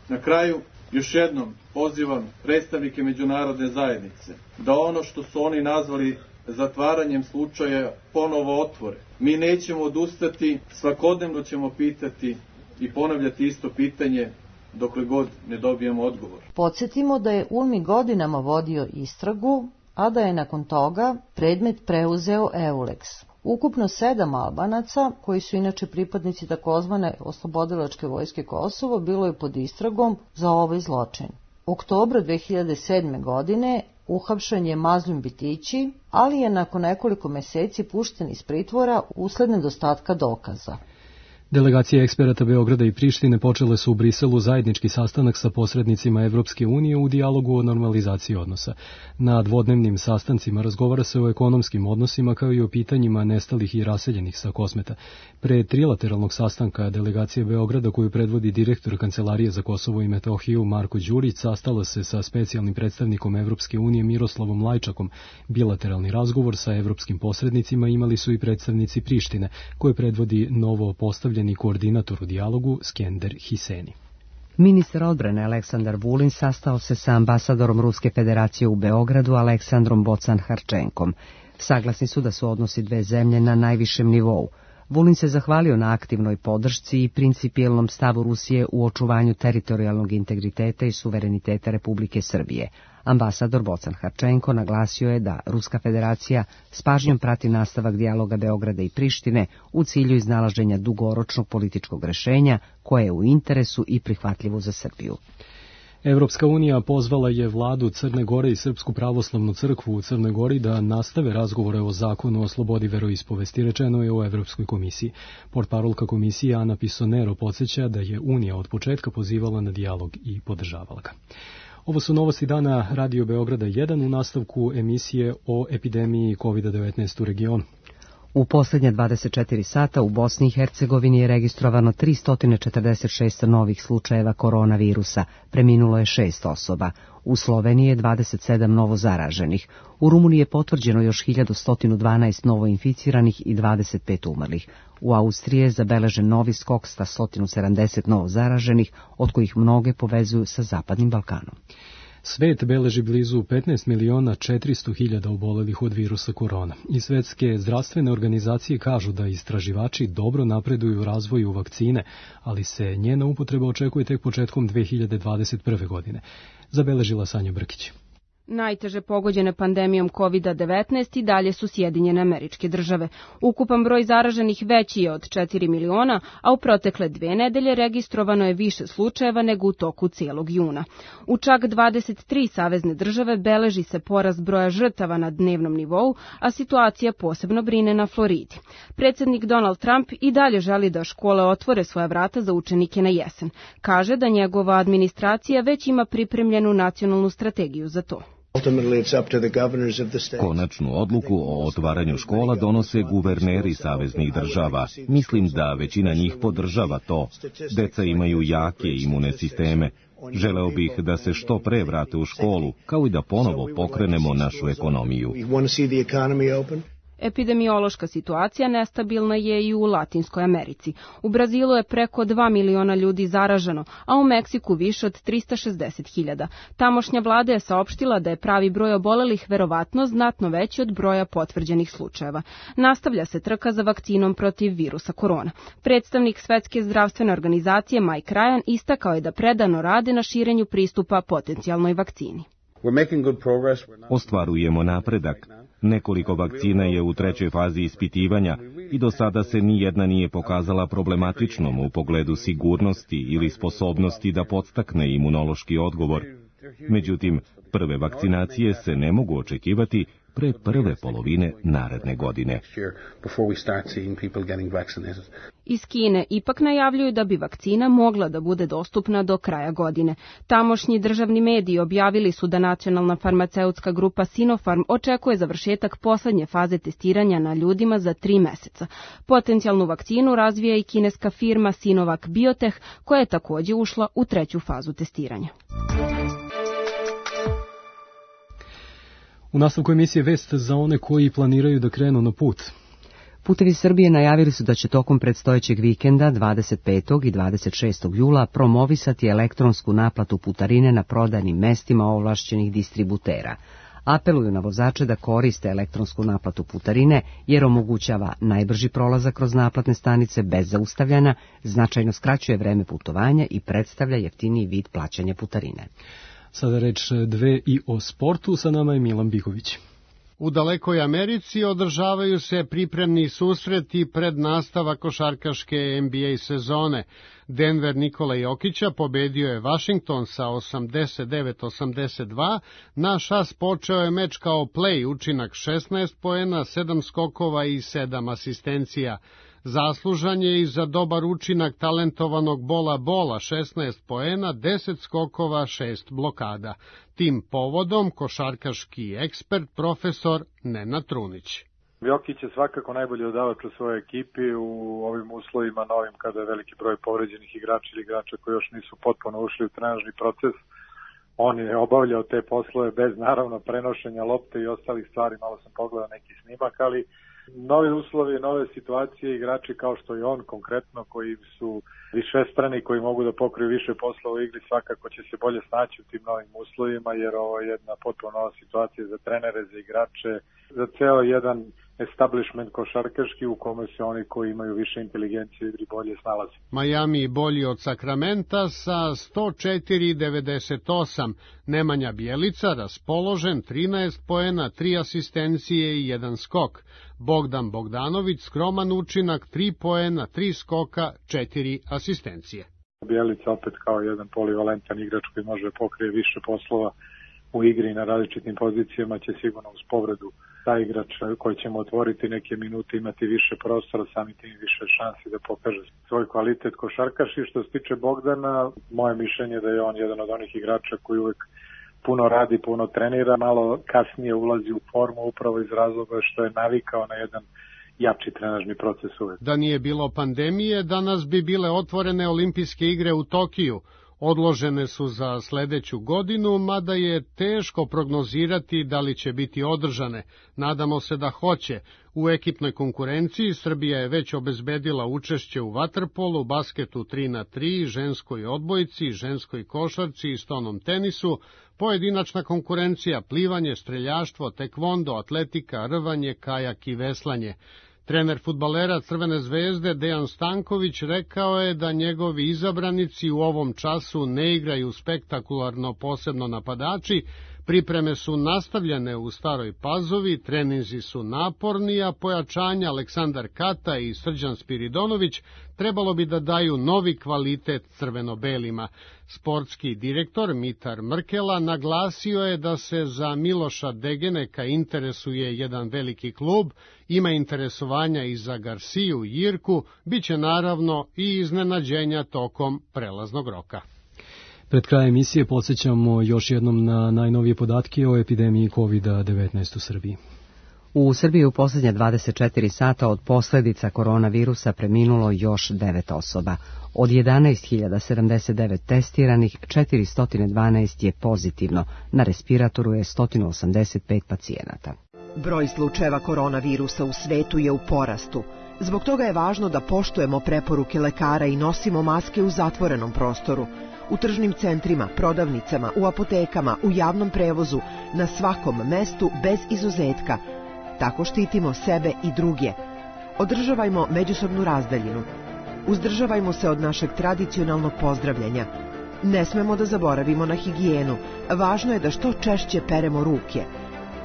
S23: Na kraju, još jednom pozivam predstavnike međunarodne zajednice da ono što su oni nazvali zatvaranjem slučaja ponovo otvore. Mi nećemo odustati, svakodnevno ćemo pitati i ponavljati isto pitanje dokle god ne dobijemo odgovor.
S5: Podsjetimo da je UNMI godinama vodio istragu, a da je nakon toga predmet preuzeo EULEX. Ukupno 7 Albanaca, koji su inače pripadnici takozvane oslobodilačke vojske Kosovo, bilo je pod istragom za ovaj zločin. U oktobru 2007. godine uhapšen je Mazlum Bitići, ali je nakon nekoliko meseci pušten iz pritvora usled nedostatka dokaza.
S2: Delegacije eksperata Beograda i Prištine počele su u Briselu zajednički sastanak sa posrednicima Evropske unije u dijalogu o normalizaciji odnosa. Na dvodnevnim sastancima razgovara se o ekonomskim odnosima kao i o pitanjima nestalih i raseljenih sa Kosmeta. Pre trilateralnog sastanka delegacije Beograda, koju predvodi direktor Kancelarije za Kosovo i Metohiju Marko Đurić, sastala se sa specijalnim predstavnikom Evropske unije Miroslavom Lajčakom. Bilateralni razgovor sa evropskim posrednicima imali su i predstavnici Prištine, koje predvodi novo postavljeni koordinator u dijalogu Skender Hiseni.
S1: Ministar odbrane Aleksandar Vulin sastao se sa ambasadorom Ruske federacije u Beogradu Aleksandrom Bocan-Harčenkom. Saglasni su da su odnosi dve zemlje na najvišem nivou. Vulin se zahvalio na aktivnoj podršci i principijelnom stavu Rusije u očuvanju teritorijalnog integriteta i suvereniteta Republike Srbije. Ambasador Bocan-Harčenko naglasio je da Ruska federacija s pažnjom prati nastavak dijaloga Beograda i Prištine u cilju iznalaženja dugoročnog političkog rešenja koje je u interesu i prihvatljivo za Srbiju.
S2: Evropska unija pozvala je vladu Crne Gore i Srpsku pravoslavnu crkvu u Crnoj Gori da nastave razgovore o zakonu o slobodi veroispovesti, rečeno je u Evropskoj komisiji. Portparolka komisije Ana Pisonero podsjeća da je Unija od početka pozivala na dijalog i podržavala ga. Ovo su novosti dana Radio Beograda 1 u nastavku emisije o epidemiji COVID-19 u regionu.
S1: U posljednje 24 sata u Bosni i Hercegovini je registrovano 346 novih slučajeva koronavirusa, preminulo je 6 osoba. U Sloveniji je 27 novo zaraženih. U Rumuniji je potvrđeno još 1112 novo inficiranih i 25 umrlih. U Austriji je zabeležen novi skok sa 170 novo zaraženih, od kojih mnoge povezuju sa Zapadnim Balkanom.
S2: Svet beleži blizu 15.400.000 obolelih od virusa korona i svetske zdravstvene organizacije kažu da istraživači dobro napreduju u razvoju vakcine, ali se njena upotreba očekuje tek početkom 2021. godine. Zabeležila Sanja Brkić.
S24: Najteže pogođene pandemijom COVID-19 i dalje su Sjedinjene Američke Države. Ukupan broj zaraženih veći je od 4 miliona, a u protekle 2 nedelje registrovano je više slučajeva nego u toku cijelog juna. U čak 23 savezne države beleži se porast broja žrtava na dnevnom nivou, a situacija posebno brine na Floridi. Predsjednik Donald Trump i dalje želi da škole otvore svoja vrata za učenike na jesen. Kaže da njegova administracija već ima pripremljenu nacionalnu strategiju za to.
S25: Konačnu odluku o otvaranju škola donose guverneri saveznih država. Mislim da većina njih podržava to. Deca imaju jake imune sisteme. Želeo bih da se što pre vrate u školu, kao i da ponovo pokrenemo našu ekonomiju.
S24: Epidemiološka situacija nestabilna je i u Latinskoj Americi. U Brazilu je preko 2 miliona ljudi zaraženo, a u Meksiku više od 360.000. Tamošnja vlada je saopštila da je pravi broj obolelih verovatno znatno veći od broja potvrđenih slučajeva. Nastavlja se trka za vakcinom protiv virusa korona. Predstavnik Svetske zdravstvene organizacije Mike Ryan istakao je da predano rade na širenju pristupa potencijalnoj vakcini.
S25: Ostvarujemo napredak. Nekoliko vakcina je u 3. fazi ispitivanja i do sada se ni jedna nije pokazala problematičnom u pogledu sigurnosti ili sposobnosti da podstakne imunološki odgovor. Međutim, prve vakcinacije se ne mogu očekivati pre prve polovine naredne godine.
S24: Iz Kine ipak najavljuju da bi vakcina mogla da bude dostupna do kraja godine. Tamošnji državni mediji objavili su da nacionalna farmaceutska grupa Sinopharm očekuje završetak poslednje faze testiranja na ljudima za 3 meseca. Potencijalnu vakcinu razvija i kineska firma Sinovac Biotech, koja je takođe ušla u 3. fazu testiranja.
S2: U nastavku emisije vest za one koji planiraju da krenu na put.
S1: Putevi Srbije najavili su da će tokom predstojećeg vikenda 25. i 26. jula promovisati elektronsku naplatu putarine na prodajnim mestima ovlašćenih distributera. Apeluju na vozače da koriste elektronsku naplatu putarine jer omogućava najbrži prolazak kroz naplatne stanice bez zaustavljanja, značajno skraćuje vreme putovanja i predstavlja jeftiniji vid plaćanja putarine.
S2: Sada reč 2 i o sportu, sa nama je Milan Bihović.
S3: U dalekoj Americi održavaju se pripremni susreti pred nastavak košarkaške NBA sezone. Denver Nikola Jokića pobedio je Washington sa 89-82, na šas počeo je meč kao play, učinak 16 poena, 7 skokova i 7 asistencija. Zaslužan je i za dobar učinak talentovanog Bola, 16 poena, 10 skokova, 6 blokada. Tim povodom košarkaški ekspert profesor Nenad Trunić.
S6: Jokić je svakako najbolji dodavač u svojoj ekipi u ovim uslovima novim kada je veliki broj povređenih igrača ili igrača koji još nisu potpuno ušli u trenažni proces. On je obavljao te poslove bez naravno prenošenja lopte i ostalih stvari, malo sam pogledao neki snimak, ali novi uslovi, nove situacije, igrači kao što je on konkretno, koji su višestrani, koji mogu da pokriju više posla u igri, svakako će se bolje snaći u tim novim uslovima, jer ovo je jedna potpuno nova situacija za trenere, za igrače, za ceo jedan establishment košarkaški u kome se oni koji imaju više inteligencije u igri bolje snalaze.
S3: Miami bolji od Sakramenta sa 104-98. Nemanja Bjelica raspoložen, 13 poena, 3 asistencije i 1 skok. Bogdan Bogdanović skroman učinak, 3 poena, 3 skoka, 4 asistencije.
S6: Bjelica opet kao jedan polivalentan igrač koji može pokrije više poslova u igri na različitim pozicijama, će sigurno uz povredu taj igrač koji ćemo otvoriti neke minute imati više prostora, sami tim više šansi da pokaže svoj kvalitet košarkaš. I što se tiče Bogdana, moje mišljenje da je on jedan od onih igrača koji uvek puno radi, puno trenira, malo kasnije ulazi u formu upravo iz razloga što je navikao na jedan jači trenažni proces uvek.
S3: Da nije bilo pandemije, danas bi bile otvorene olimpijske igre u Tokiju. Odložene su za sledeću godinu, mada je teško prognozirati da li će biti održane. Nadamo se da hoće. U ekipnoj konkurenciji Srbija je već obezbedila učešće u vaterpolu, basketu 3x3, ženskoj odbojci, ženskoj košarci i stonom tenisu, pojedinačna konkurencija, plivanje, streljaštvo, tekvondo, atletika, rvanje, kajak i veslanje. Trener fudbalera Crvene zvezde Dejan Stanković rekao je da njegovi izabranici u ovom času ne igraju spektakularno, posebno napadači, pripreme su nastavljene u Staroj Pazovi, treninzi su naporni, a pojačanja Aleksandar Kata i Srđan Spiridonović trebalo bi da daju novi kvalitet crveno-belima. Sportski direktor Mitar Mrkela naglasio je da se za Miloša Degeneka interesuje jedan veliki klub, ima interesovanja i za Garciju i Jirku, bit će naravno i iznenađenja tokom prelaznog roka.
S2: Pred krajem emisije podsjećamo još jednom na najnovije podatke o epidemiji COVID-19 u Srbiji.
S1: U Srbiji u posljednje 24 sata od posljedica koronavirusa preminulo još 9 osoba. Od 11.079 testiranih, 412 je pozitivno, na respiratoru je 185 pacijenata.
S8: Broj slučajeva koronavirusa u svetu je u porastu. Zbog toga je važno da poštujemo preporuke lekara i nosimo maske u zatvorenom prostoru, u tržnim centrima, prodavnicama, u apotekama, u javnom prevozu, na svakom mestu bez izuzetka. Tako štitimo sebe i druge. Održavajmo međusobnu razdaljinu. Uzdržavajmo se od našeg tradicionalnog pozdravljanja. Ne smemo da zaboravimo na higijenu. Važno je da što češće peremo ruke.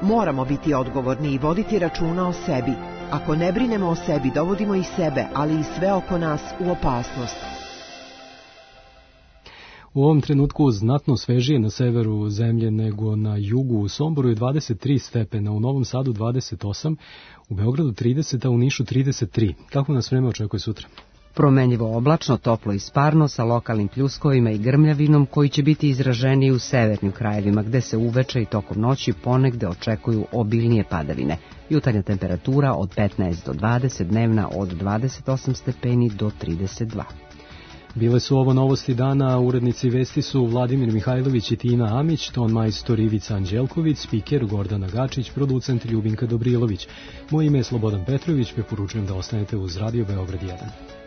S8: Moramo biti odgovorni i voditi računa o sebi. Ako ne brinemo o sebi, dovodimo i sebe, ali i sve oko nas u opasnost.
S2: U ovom trenutku znatno svežije na severu zemlje nego na jugu. U Somboru je 23 stepena, u Novom Sadu 28, u Beogradu 30, a u Nišu 33. Kako nas vreme očekuje sutra?
S1: Promenljivo oblačno, toplo i sparno, sa lokalnim pljuskovima i grmljavinom koji će biti izraženiji u severnim krajevima, gde se uveče i tokom noći ponegde očekuju obilnije padavine. Jutarnja temperatura od 15 do 20, dnevna od 28 stepeni do 32.
S2: Bile su ovo novosti dana, urednici vesti su Vladimir Mihajlović i Tina Amić, ton majstor Ivica Anđelković, spiker Gordana Gačić, producent Ljubinka Dobrilović. Moje ime je Slobodan Petrović, preporučujem da ostanete uz Radio Beograd 1.